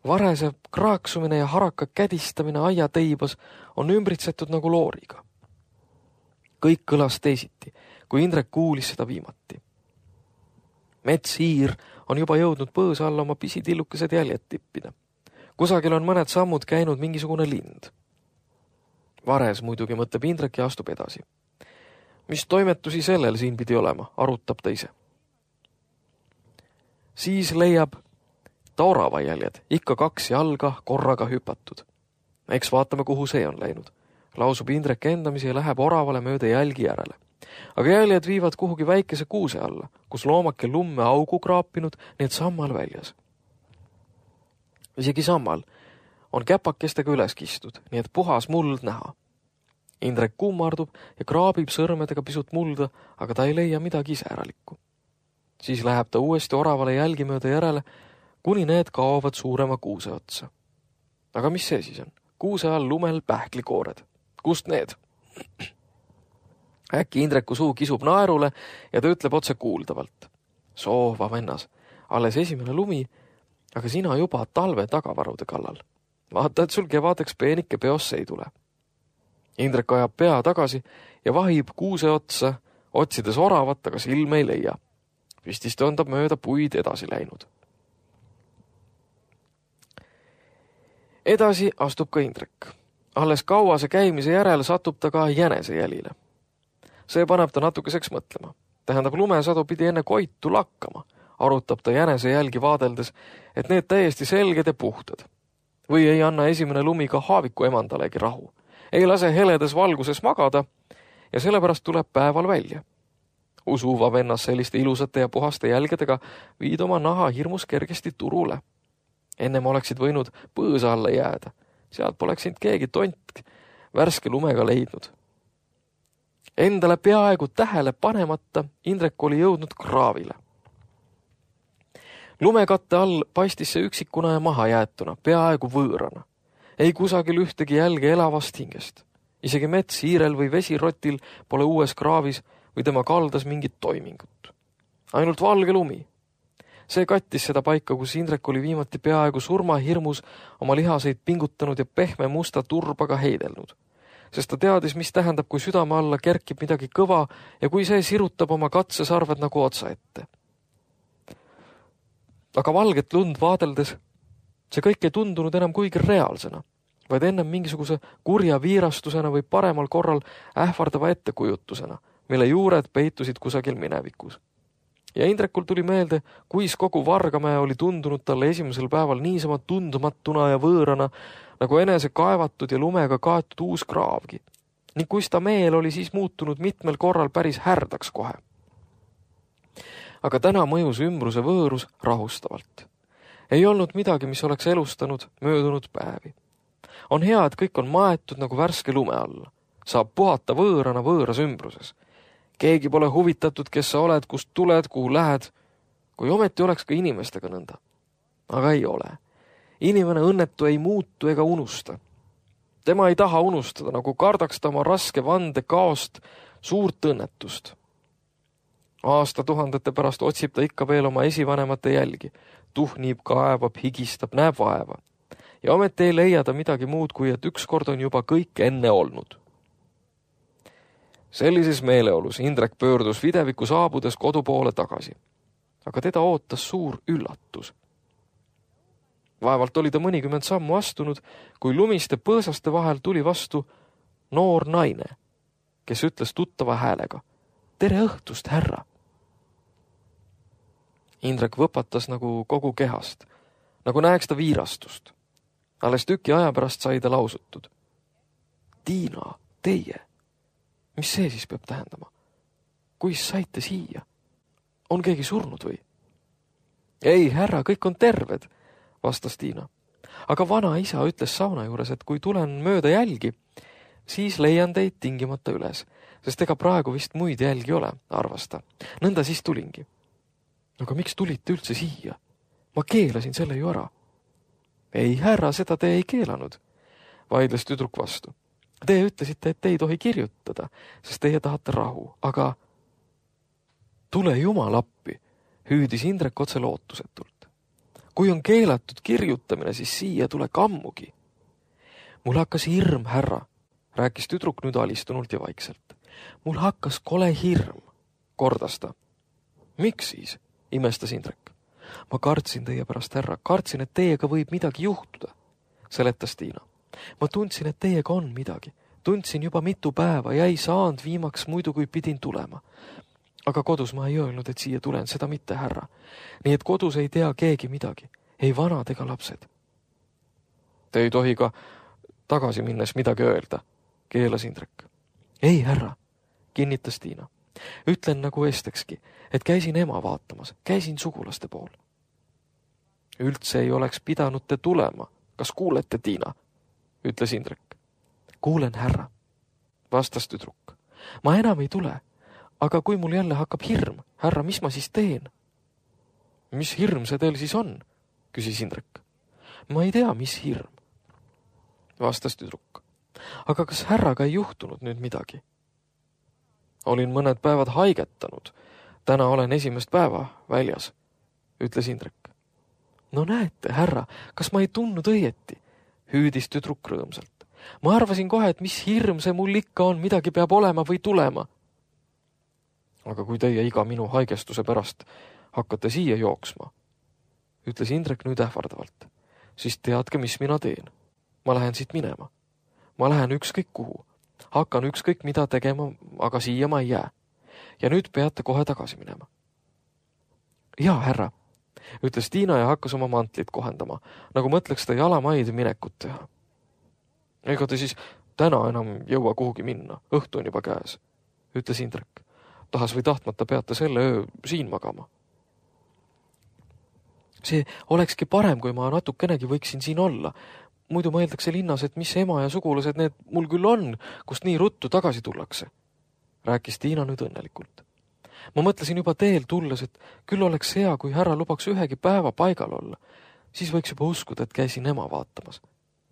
Varese kraaksumine ja haraka kädistamine aia teibas on ümbritsetud nagu looriga. Kõik kõlas teisiti, kui Indrek kuulis seda viimati. Metshiir on juba jõudnud põõsa alla oma pisitillukesed jäljed tippida. Kusagil on mõned sammud käinud mingisugune lind. Vares muidugi mõtleb Indrek ja astub edasi. Mis toimetusi sellel siin pidi olema, arutab ta ise. Siis leiab ta orava jäljed, ikka kaks jalga korraga hüpatud. Eks vaatame, kuhu see on läinud. Lausub Indrek endamisi ja läheb oravale mööda jälgi järele. Aga jäljed viivad kuhugi väikese kuuse alla, kus loomake lumme augu kraapinud, nii et sammal väljas. Isegi sammal on käpakestega üles kistud, nii et puhas muld näha. Indrek kummardub ja kraabib sõrmedega pisut mulda, aga ta ei leia midagi iseäralikku. Siis läheb ta uuesti oravale jälgi mööda järele, kuni need kaovad suurema kuuse otsa. aga mis see siis on? Kuuse all lumel pähklikoored. Kust need? Äkki Indreku suu kisub naerule ja ta ütleb otse kuuldavalt. Soova vennas, alles esimene lumi, aga sina juba talve tagavarude kallal. Vaata, et sul kevadeks peenike peosse ei tule. Indrek ajab pea tagasi ja vahib kuuse otsa, otsides oravat, aga silme ei leia. Vistist on ta mööda puid edasi läinud. Edasi astub ka Indrek. Alles kauase käimise järel satub ta ka jänese jälile. See paneb ta natukeseks mõtlema. Tähendab, lumesadu pidi enne koitu lakkama. Arutab ta jänese jälgi vaadeldes, et need täiesti selged ja puhtad. Või ei anna esimene lumi ka haaviku emandalegi rahu. Ei lase heledes valguses magada ja sellepärast tuleb päeval välja. Usuva vennas selliste ilusate ja puhaste jälgedega viid oma naha hirmus kergesti turule. Ennem oleksid võinud põõsa alla jääda. Sealt poleks sind keegi tont värske lumega leidnud. Endale peaaegu tähele panemata Indrek oli jõudnud kraavile. Lumekatte all paistis see üksikuna ja maha jäetuna, peaaegu võõrana. Ei kusagil ühtegi jälge elavast hingest. Isegi mets hiirel või vesirotil pole uues kraavis või tema kaldas mingit toimingut. Ainult valge lumi. See kattis seda paika, kus Indrek oli viimati peaaegu surmahirmus oma lihaseid pingutanud ja pehme musta turbaga heidelnud. Sest ta teadis, mis tähendab, kui südame alla kerkib midagi kõva ja kui see sirutab oma katsesarved nagu otsa ette. Aga valget lund vaadeldes see kõik ei tundunud enam kuigi reaalsena, vaid ennem mingisuguse kurja viirastusena või paremal korral ähvardava ettekujutusena, mille juured peitusid kusagil minevikus. Ja Indrekul tuli meelde, kuis kogu Vargamäe oli tundunud talle esimesel päeval niisama tundmatuna ja võõrana, nagu enese kaevatud ja lumega kaetud uus kraavgi. Ning kuis ta meel oli siis muutunud mitmel korral päris härdaks kohe. Aga täna mõjus ümbruse võõrus rahustavalt. Ei olnud midagi, mis oleks elustanud möödunud päevi. On hea, et kõik on maetud nagu värske lume alla. Saab puhata võõrana võõras ümbruses. Keegi pole huvitatud, kes sa oled, kust tuled, kuhu lähed, kui ometi oleks ka inimestega nõnda. Aga ei ole. Inimene õnnetu ei muutu ega unusta. Tema ei taha unustada, nagu kardaks ta oma raske vande kaost suurt õnnetust. Aasta tuhandete pärast otsib ta ikka veel oma esivanemate jälgi. Tuhnib, kaevab, higistab, näeb vaeva. Ja ometi ei leia ta midagi muud, kui et ükskord on juba kõik enne olnud. Sellises meeleolus Indrek pöördus videviku saabudes kodu poole tagasi. Aga teda ootas suur üllatus. Vaevalt oli ta mõnikümmend sammu astunud, kui lumiste põõsaste vahel tuli vastu noor naine, kes ütles tuttava häälega. Tere õhtust, härra! Indrek võpatas nagu kogu kehast, nagu näeks ta viirastust. Alles tüki aja pärast sai ta lausutud. Tiina, teie! Mis see siis peab tähendama? Kuis saite siia? On keegi surnud või? Ei, härra, kõik on terved, vastas Tiina. Aga vana isa ütles sauna juures, et kui tulen mööda jälgi, siis leian teid tingimata üles, sest ega praegu vist muid jälgi ole, arvas ta. Nõnda siis tulingi. Aga miks tulite üldse siia? Ma keelasin selle ju ära. Ei, härra, seda te ei keelanud, vaidles tüdruk vastu. Te ütlesite, et te ei tohi kirjutada, sest teie tahate rahu, aga tule jumal appi, hüüdis Indrek otse lootusetult. Kui on keelatud kirjutamine, siis siia tule kammugi. Mul hakkas hirm, härra, rääkis tüdruk nüüd alistunult ja vaikselt. Mul hakkas kole hirm, kordas ta. Miks siis? Imestas Indrek. Ma kartsin teie pärast, härra, kartsin, et teiega võib midagi juhtuda, seletas Tiina. Ma tundsin, et teiega on midagi. Tundsin juba mitu päeva ja ei saanud viimaks muidu, kui pidin tulema. Aga kodus ma ei öelnud, et siia tulen, seda mitte, härra. Nii et kodus ei tea keegi midagi. Ei vanad ega lapsed. Te ei tohi ka tagasi minnes midagi öelda, keelas Indrek. Ei, härra, kinnitas Tiina. Ütlen nagu estekski, et käisin ema vaatamas, käisin sugulaste pool. Üldse ei oleks pidanud te tulema. Kas kuulete, Tiina? Ütles Indrek. Kuulen, härra, vastas tüdruk. Ma enam ei tule, aga kui mul jälle hakkab hirm, härra, mis ma siis teen? Mis hirm see teil siis on? Küsis Indrek. Ma ei tea, mis hirm. vastas tüdruk. Aga kas härraga ei juhtunud nüüd midagi? Olin mõned päevad haigetanud. Täna olen esimest päeva väljas, ütles Indrek. No näete, härra, kas ma ei tundnud õieti? Hüüdis tüdruk rõõmsalt. Ma arvasin kohe, et mis hirm see mul ikka on, midagi peab olema või tulema. Aga kui teie iga minu haigestuse pärast hakkate siia jooksma, ütles Indrek nüüd ähvardavalt, siis teadke, mis mina teen. Ma lähen siit minema. Ma lähen ükskõik kuhu. Hakkan ükskõik mida tegema, aga siia ma ei jää. Ja nüüd peate kohe tagasi minema. Jaa, härra, ütles Tiina ja hakkas oma mantlit kohendama, nagu mõtleks ta jalamaid minekut teha. Ega te siis täna enam jõua kuhugi minna, õhtu on juba käes, ütles Indrek. Tahas või tahtmata peate selle öö siin magama. See olekski parem, kui ma natukenegi võiksin siin olla. Muidu mõeldakse linnas, et mis ema ja sugulased need mul küll on, kust nii ruttu tagasi tullakse, rääkis Tiina nüüd õnnelikult. Ma mõtlesin juba teel tulles, et küll oleks hea, kui härra lubaks ühegi päeva paigal olla. Siis võiks juba uskuda, et käisin ema vaatamas.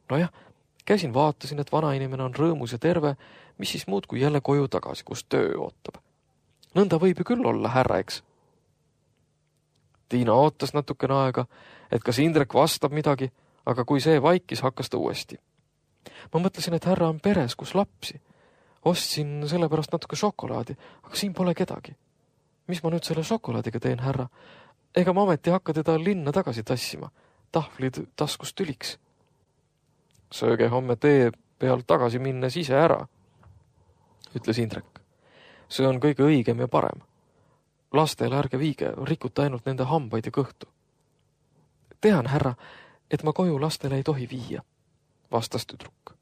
No jah, käisin vaatasin, et vanainimene on rõõmus ja terve, mis siis muud kui jälle koju tagasi, kus töö ootab. Nõnda võib ju küll olla, härra, eks? Tiina ootas natukene aega, et kas Indrek vastab midagi, aga kui see vaikis, hakkas ta uuesti. Ma mõtlesin, et härra on peres, kus lapsi. Ostsin selle pärast natuke šokolaadi, aga siin pole kedagi. Mis ma nüüd selle šokolaadiga teen, härra? Ega ma ometi hakka teda linna tagasi tassima. Tahvlid taskust tüliks. Sööge homme tee peal tagasi minnes ise ära, ütles Indrek. See on kõige õigem ja parem. Lastele ärge viige, rikuta ainult nende hambaid ja kõhtu. Tean, härra, et ma koju lastele ei tohi viia, vastas tüdruk.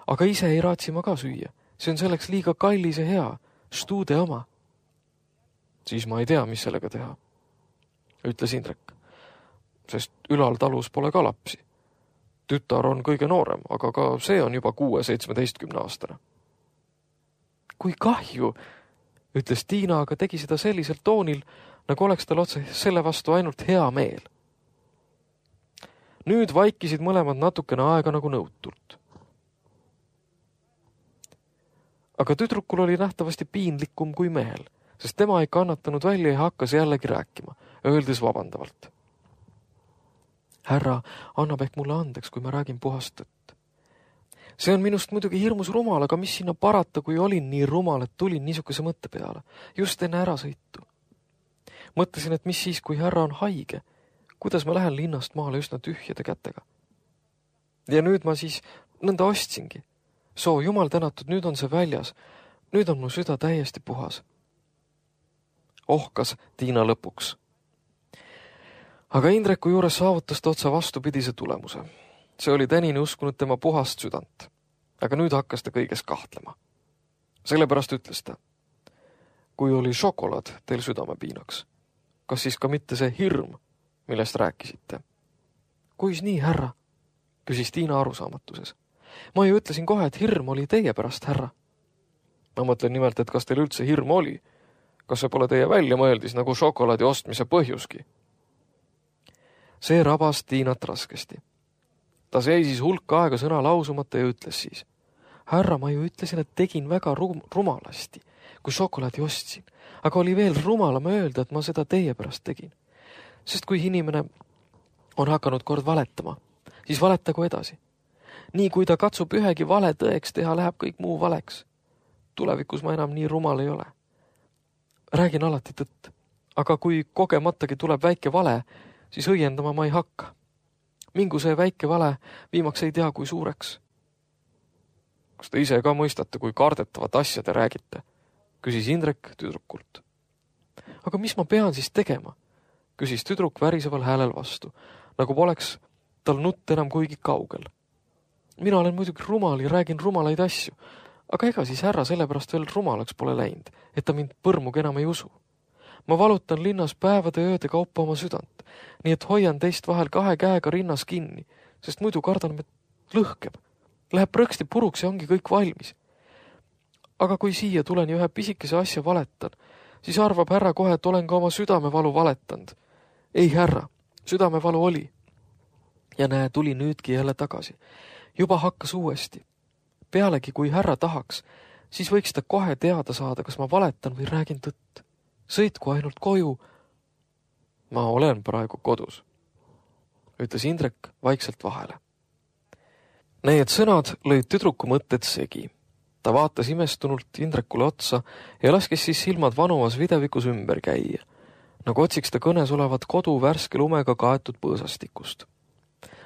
Aga ise ei raatsi ma ka süüa. See on selleks liiga kallis ja hea, štuude oma. Siis ma ei tea, mis sellega teha, ütles Indrek, sest ülal talus pole ka lapsi. Tütar on kõige noorem, aga ka see on juba kuue seitsmeteistkümne aastane. Kui kahju, ütles Tiina, aga tegi seda sellisel toonil, nagu oleks tal otse selle vastu ainult hea meel. Nüüd vaikisid mõlemad natukene aega nagu nõutult. Aga tüdrukul oli nähtavasti piinlikum kui mehel, sest tema ei kannatanud välja ja hakkas jällegi rääkima, öeldes vabandavalt. Härra annab ehk mulle andeks, kui ma räägin puhast tõtt. See on minust muidugi hirmus rumal, aga mis sinna parata, kui olin nii rumal, et tulin niisuguse mõtte peale, just enne ärasõitu. Mõtlesin, et mis siis, kui härra on haige, kuidas ma lähen linnast maale üsna tühjade kätega. Ja nüüd ma siis nõnda ostsingi. Soo, jumal tänatud, nüüd on see väljas. Nüüd on mu süda täiesti puhas. Ohkas Tiina lõpuks. Aga Indreku juures saavutas ta otsa vastupidise tulemuse. See oli tänini uskunud tema puhast südant. Aga nüüd hakkas ta kõiges kahtlema. Sellepärast ütles ta. Kui oli šokolaad teil südamepiinaks, kas siis ka mitte see hirm, millest rääkisite? Kuis nii, härra? Küsis Tiina arusaamatuses. Ma ju ütlesin kohe, et hirm oli teie pärast, härra. Ma mõtlen nimelt, et kas teil üldse hirm oli? Kas see pole teie väljamõeldis nagu šokolaadi ostmise põhjuski? See rabas Tiinat raskesti. Ta seisis hulk aega sõna lausumata ja ütles siis. Härra, ma ju ütlesin, et tegin väga rum- rumalasti, kui šokolaadi ostsin. Aga oli veel rumalam öelda, et ma seda teie pärast tegin. Sest kui inimene on hakanud kord valetama, siis valetagu edasi. Nii kui ta katsub ühegi vale tõeks teha, läheb kõik muu valeks. Tulevikus ma enam nii rumal ei ole. Räägin alati tõtt, aga kui kogematagi tuleb väike vale, siis õiendama ma ei hakka. Mingu see väike vale viimaks ei tea kui suureks. Kas te ise ka mõistate, kui kardetavat asja te räägite? Küsis Indrek tüdrukult. Aga mis ma pean siis tegema? Küsis tüdruk väriseval häälel vastu, nagu poleks tal nutt enam kuigi kaugel. Mina olen muidugi rumal ja räägin rumalaid asju, aga ega siis härra sellepärast veel rumalaks pole läinud, et ta mind põrmugi enam ei usu. Ma valutan linnas päevade ööde kaupa oma südant, nii et hoian teist vahel kahe käega rinnas kinni, sest muidu kardan, et lõhkeb. Läheb prõksti puruks ja ongi kõik valmis. Aga kui siia tulen ja ühe pisikese asja valetan, siis arvab härra kohe, et olen ka oma südamevalu valetanud. Ei, härra, südamevalu oli. Ja näe, tuli nüüdki jälle tagasi. juba hakkas uuesti. Pealegi, kui härra tahaks, siis võiks ta kohe teada saada, kas ma valetan või räägin tõtt. Sõitku ainult koju. Ma olen praegu kodus, ütles Indrek vaikselt vahele. Need sõnad lõid tüdruku mõtted segi. Ta vaatas imestunult Indrekule otsa ja laskis siis silmad vanuvas videvikus ümber käia, nagu otsiks ta kõnes olevat kodu värske lumega kaetud põõsastikust.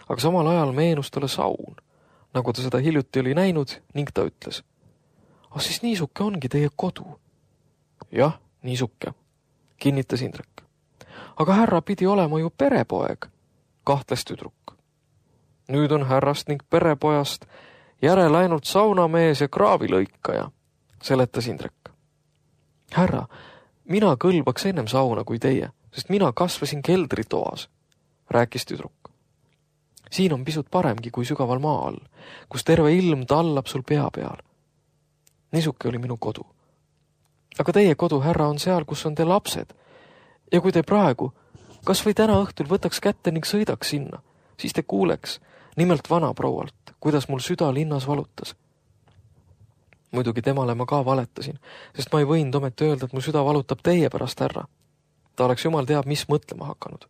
Aga samal ajal meenus talle saun, nagu ta seda hiljuti oli näinud, ning ta ütles: "Ah, siis niisuke ongi teie kodu." "Jah, niisuke," kinnitas Indrek. "Aga härra pidi olema ju perepoeg," kahtles tüdruk. "Nüüd on härrast ning perepojast järele ainult saunamees ja kraavilõikaja," seletas Indrek. "Härra, mina kõlbaks ennem sauna kui teie, sest mina kasvasin keldritoas," rääkis tüdruk. "Siin on pisut paremgi kui sügaval maa all, kus terve ilm tallab sul pea peal. Niisuke oli minu kodu. Aga teie kodu, härra, on seal, kus on te lapsed. Ja kui te praegu, kas või täna õhtul võtaks kätte ning sõidaks sinna, siis te kuuleks nimelt vanaproualt, kuidas mul süda linnas valutas. Muidugi temale ma ka valetasin, sest ma ei võinud ometi öelda, et mu süda valutab teie pärast, härra. Ta oleks jumal teab, mis mõtlema hakanud.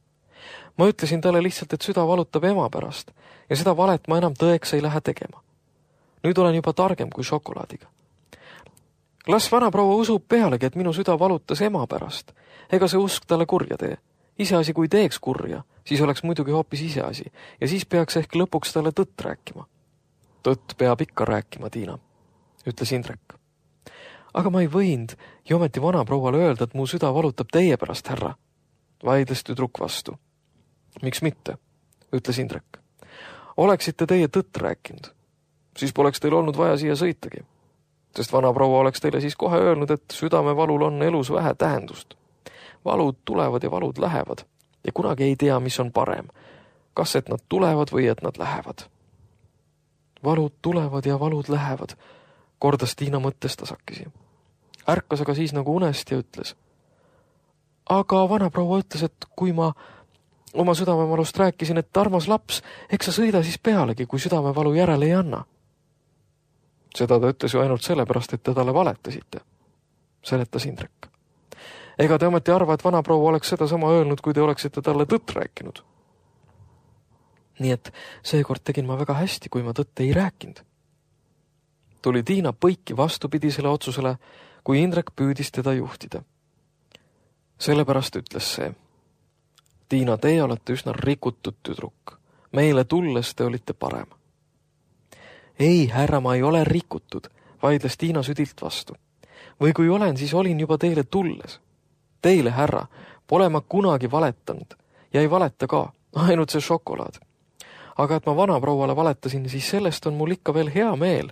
Ma ütlesin talle lihtsalt, et süda valutab ema pärast ja seda valet ma enam tõeks ei lähe tegema. Nüüd olen juba targem kui šokolaadiga. Las vanaproua usub pealegi, et minu süda valutas ema pärast. Ega see usk talle kurja tee. Iseasi, kui teeks kurja, siis oleks muidugi hoopis iseasi ja siis peaks ehk lõpuks talle tõtt rääkima. Tõtt peab ikka rääkima, Tiina, ütles Indrek. Aga ma ei võinud ja ometi vanaprouale öelda, et mu süda valutab teie pärast, härra, vaidles tüdruk vastu. Miks mitte, ütles Indrek. Oleksite teie tõtt rääkinud, siis poleks teil olnud vaja siia sõitagi, sest vanaproua oleks teile siis kohe öelnud, et südamevalul on elus vähe tähendust. Valud tulevad ja valud lähevad ja kunagi ei tea, mis on parem, kas et nad tulevad või et nad lähevad. Valud tulevad ja valud lähevad, kordas Tiina mõttes tasakesi. Ärkas aga siis nagu unest ja ütles. Aga vanaproua ütles, et kui ma oma südamevalust rääkisin, et armas laps, eks sa sõida siis pealegi, kui südamevalu järele ei anna. Seda ta ütles ju ainult sellepärast, et te talle valetasite, seletas Indrek. Ega te ometi arva, et vanaproua oleks seda sama öelnud, kui te oleksite talle tõtt rääkinud. Nii et seekord tegin ma väga hästi, kui ma tõtt ei rääkinud. Tuli Tiina põiki vastupidisele otsusele, kui Indrek püüdis teda juhtida. Sellepärast ütles see. Tiina, teie olete üsna rikutud tüdruk. Meile tulles te olite parem. Ei, härra, ma ei ole rikutud, vaidles Tiina südilt vastu. Või kui olen, siis olin juba teile tulles. Teile, härra, pole ma kunagi valetanud ja ei valeta ka, ainult see šokolaad. Aga et ma vanaprouale valetasin, siis sellest on mul ikka veel hea meel.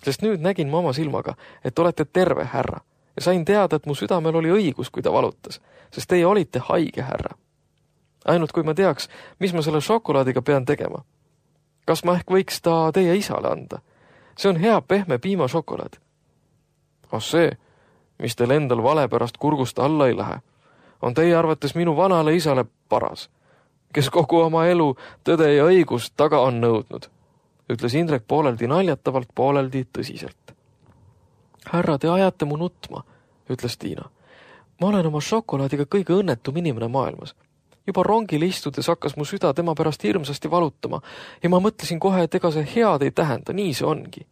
Sest nüüd nägin ma oma silmaga, et olete terve, härra, ja sain teada, et mu südamel oli õigus, kui ta valutas, sest teie olite haige, härra. Ainult kui ma teaks, mis ma selle šokolaadiga pean tegema. Kas ma ehk võiks ta teie isale anda? See on hea pehme piimašokolaad. Ah see, mis teil endal vale pärast kurgust alla ei lähe, on teie arvates minu vanale isale paras, kes kogu oma elu tõde ja õigust taga on nõudnud, ütles Indrek pooleldi naljatavalt, pooleldi tõsiselt. Härra, te ajate mu nutma, ütles Tiina. Ma olen oma šokolaadiga kõige õnnetum inimene maailmas. Juba rongil istudes hakkas mu süda tema pärast hirmsasti valutama ja ma mõtlesin kohe, et ega see head ei tähenda, nii see ongi.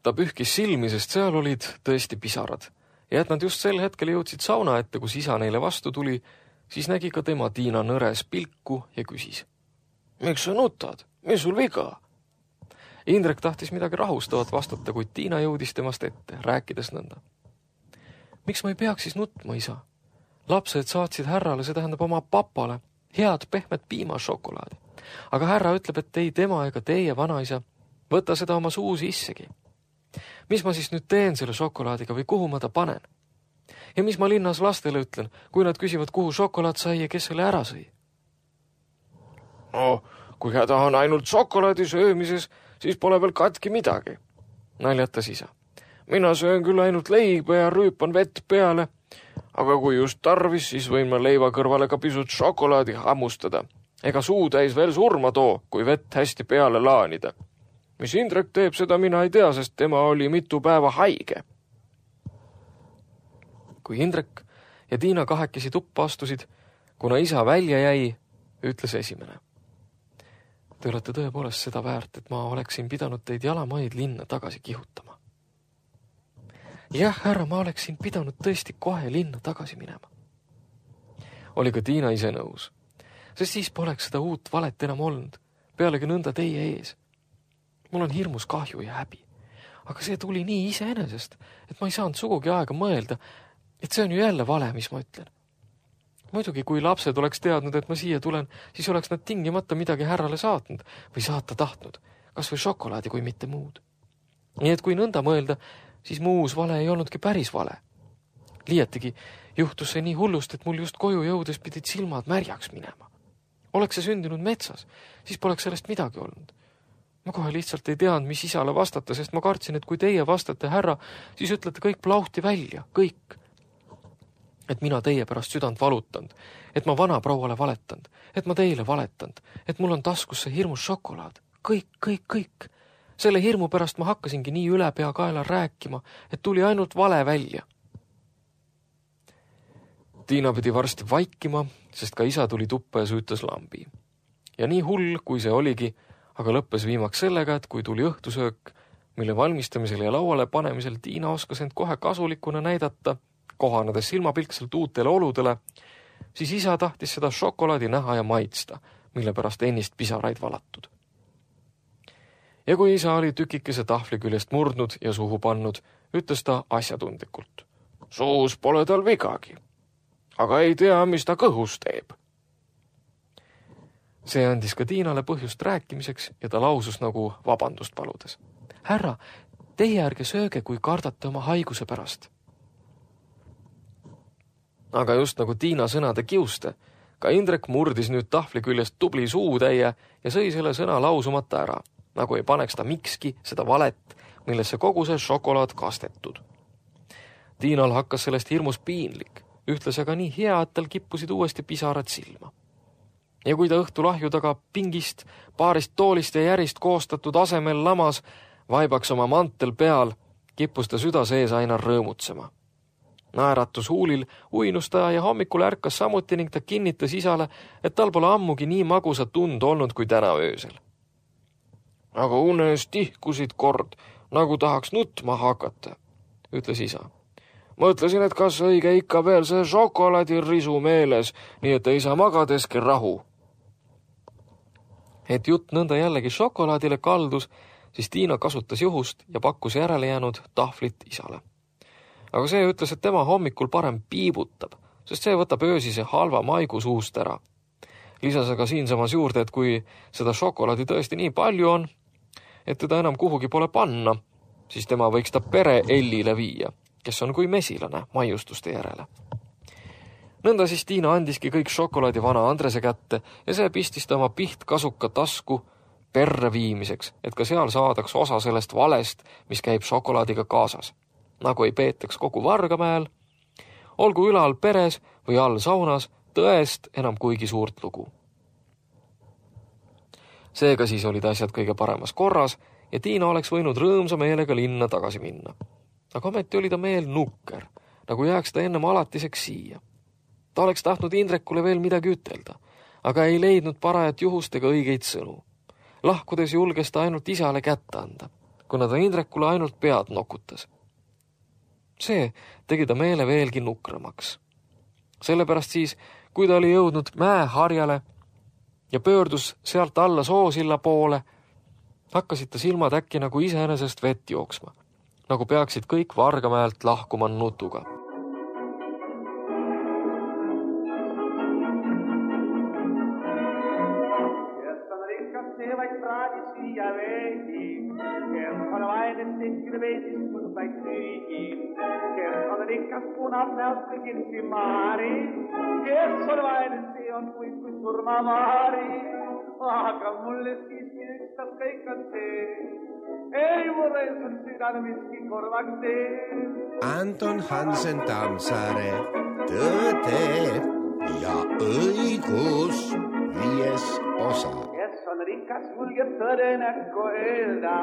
Ta pühkis silmi, sest seal olid tõesti pisarad ja et nad just sel hetkel jõudsid sauna ette, kus isa neile vastu tuli, siis nägi ka tema Tiina nõres pilku ja küsis. Miks sa nutad? Mis sul viga? Indrek tahtis midagi rahustavat vastata, kuid Tiina jõudis temast ette, rääkides nõnda. Miks ma ei peaks siis nutma, isa? Lapsed saatsid härrale, see tähendab oma papale, head pehmet piimašokolaadi. Aga härra ütleb, et ei tema ega teie vanaisa, võta seda oma suu sissegi. Mis ma siis nüüd teen selle šokolaadiga või kuhu ma ta panen? Ja mis ma linnas lastele ütlen, kui nad küsivad, kuhu šokolaad sai ja kes selle ära sõi? No, kui häda on ainult šokolaadi söömises, siis pole veel katki midagi, naljatas isa. Mina söön küll ainult leiba ja rüüpan vett peale, aga kui just tarvis, siis võin ma leiva kõrvale ka pisut šokolaadi hammustada Ega suu täis veel surma too, kui vett hästi peale laanida. Mis Indrek teeb, seda mina ei tea, sest tema oli mitu päeva haige. Kui Indrek ja Tiina kahekesi tuppa astusid, kuna isa välja jäi, ütles esimene. Te olete tõepoolest seda väärt, et ma oleksin pidanud teid jalamaid linna tagasi kihutama. Jah, härra, ma oleksin pidanud tõesti kohe linna tagasi minema. Oli ka Tiina ise nõus, sest siis poleks seda uut valet enam olnud, pealegi nõnda teie ees. Mul on hirmus kahju ja häbi, aga see tuli nii iseenesest, et ma ei saanud sugugi aega mõelda, et see on ju jälle vale, mis ma ütlen. Muidugi, kui lapsed oleks teadnud, et ma siia tulen, siis oleks nad tingimata midagi härrale saatnud või saata tahtnud, kas või šokolaadi kui mitte muud. Nii et kui nõnda mõelda, siis mu uus vale ei olnudki päris vale. Liiatigi juhtus see nii hullust, et mul just koju jõudes pidid silmad märjaks minema. Oleks see sündinud metsas, siis poleks sellest midagi olnud. Ma kohe lihtsalt ei teadnud, mis isale vastata, sest ma kartsin, et kui teie vastate härra, siis ütlete kõik plauhti välja, kõik. Et mina teie pärast südant valutanud, et ma vana prouale valetanud, et ma teile valetanud, et mul on taskus see hirmus šokolaad. Kõik, kõik, kõik. Selle hirmu pärast ma hakkasingi nii üle pea kaela rääkima, et tuli ainult vale välja. Tiina pidi varsti vaikima, sest ka isa tuli tuppa ja süütas lambi. Ja nii hull, kui see oligi, aga lõppes viimaks sellega, et kui tuli õhtusöök, mille valmistamisel ja lauale panemisel Tiina oskas end kohe kasulikuna näidata, kohanades silmapilkselt uutele oludele, siis isa tahtis seda šokolaadi näha ja maitsta, mille pärast ennist pisaraid valatud. Ja kui isa oli tükikese tahvli küljest murdnud ja suhu pannud, ütles ta asjatundlikult. Suus pole tal vigagi, aga ei tea, mis ta kõhus teeb. See andis ka Tiinale põhjust rääkimiseks ja ta lausus nagu vabandust paludes. Härra, teie ärge sööge, kui kardate oma haiguse pärast. Aga just nagu Tiina sõnade kiuste, ka Indrek murdis nüüd tahvli küljest tubli suutäie ja sõi selle sõna lausumata ära, nagu ei paneks ta mikski seda valet, millesse kogu see šokolaad kastetud. Tiinal hakkas sellest hirmus piinlik, ühtles aga nii hea, et tal kippusid uuesti pisarad silma. Ja kui ta õhtu lahju taga pingist, paarist toolist ja järist koostatud asemel lamas, vaibaks oma mantel peal, kippus ta süda sees aina rõõmutsema. Naeratus huulil uinus ta ja hommikul ärkas samuti ning ta kinnitas isale, et tal pole ammugi nii magusa tund olnud kui täna öösel. Aga unes tihkusid kord, nagu tahaks nutma hakata, ütles isa. Mõtlesin, et kas õige ikka veel see šokolaadirisu meeles, nii et ei saa magadeski rahu. Et jutt nõnda jällegi šokolaadile kaldus, siis Tiina kasutas juhust ja pakkus järele jäänud tahvlit isale. Aga see ütles, et tema hommikul parem piibutab, sest see võtab öösise halva maigu suust ära. Lisas aga siinsamas juurde, et kui seda šokolaadi tõesti nii palju on, et teda enam kuhugi pole panna, siis tema võiks ta pere Ellile viia, kes on kui mesilane maiustuste järele. Nõnda siis Tiina andiski kõik šokolaadi vana Andrese kätte ja see pistis ta oma pihtkasuka tasku perre viimiseks, et ka seal saadaks osa sellest valest, mis käib šokolaadiga kaasas. Nagu ei peetaks kogu Vargamäel, olgu ülal peres või all saunas, tõest enam kuigi suurt lugu. Seega siis olid asjad kõige paremas korras ja Tiina oleks võinud rõõmsa meelega linna tagasi minna. Aga ometi oli ta meel nukker, nagu jääks ta ennem alatiseks siia. Ta oleks tahtnud Indrekule veel midagi ütelda, aga ei leidnud parajat juhust ega õigeid sõnu. Lahkudes julges ta ainult isale kätte anda, kuna ta Indrekule ainult pead nokutas. See tegi ta meele veelgi nukramaks. Sellepärast siis, kui ta oli jõudnud mäeharjale ja pöördus sealt alla soosilla poole, hakkasid ta silmad äkki nagu iseenesest vett jooksma, nagu peaksid kõik Vargamäelt lahkuma nutuga. Punat näosta kirsi maari, kes on vain see on kui kui surmamaari, aga mulle siiski ükstas kõik on see, ei mulle sun südame miski korvaks tee. Anton Hansen Tammsaare, tõde ja õigus, viies osa. Kes on rikas, julgeb tõde näkku öelda,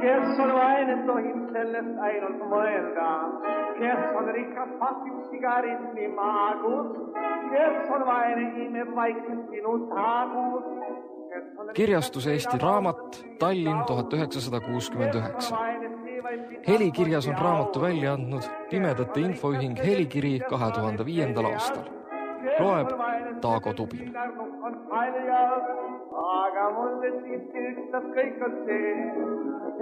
kes on vaene, tohib sellest ainult mõelda. Kes on rikas, pasib sigaretti maagus, kes on vaene, imeb vaikselt sinu taagus. Kirjastus Eesti Raamat, Tallinn tuhat üheksasada kuuskümmend üheksa. Helikirjas on raamatu välja andnud Pimedate Infoühing Helikiri kahe tuhande viiendal aastal. Loeb Taago Tubin. Aga mulle siiski ükstas kõik on see,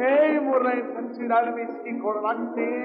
ei murre, et südal miski korvaks see.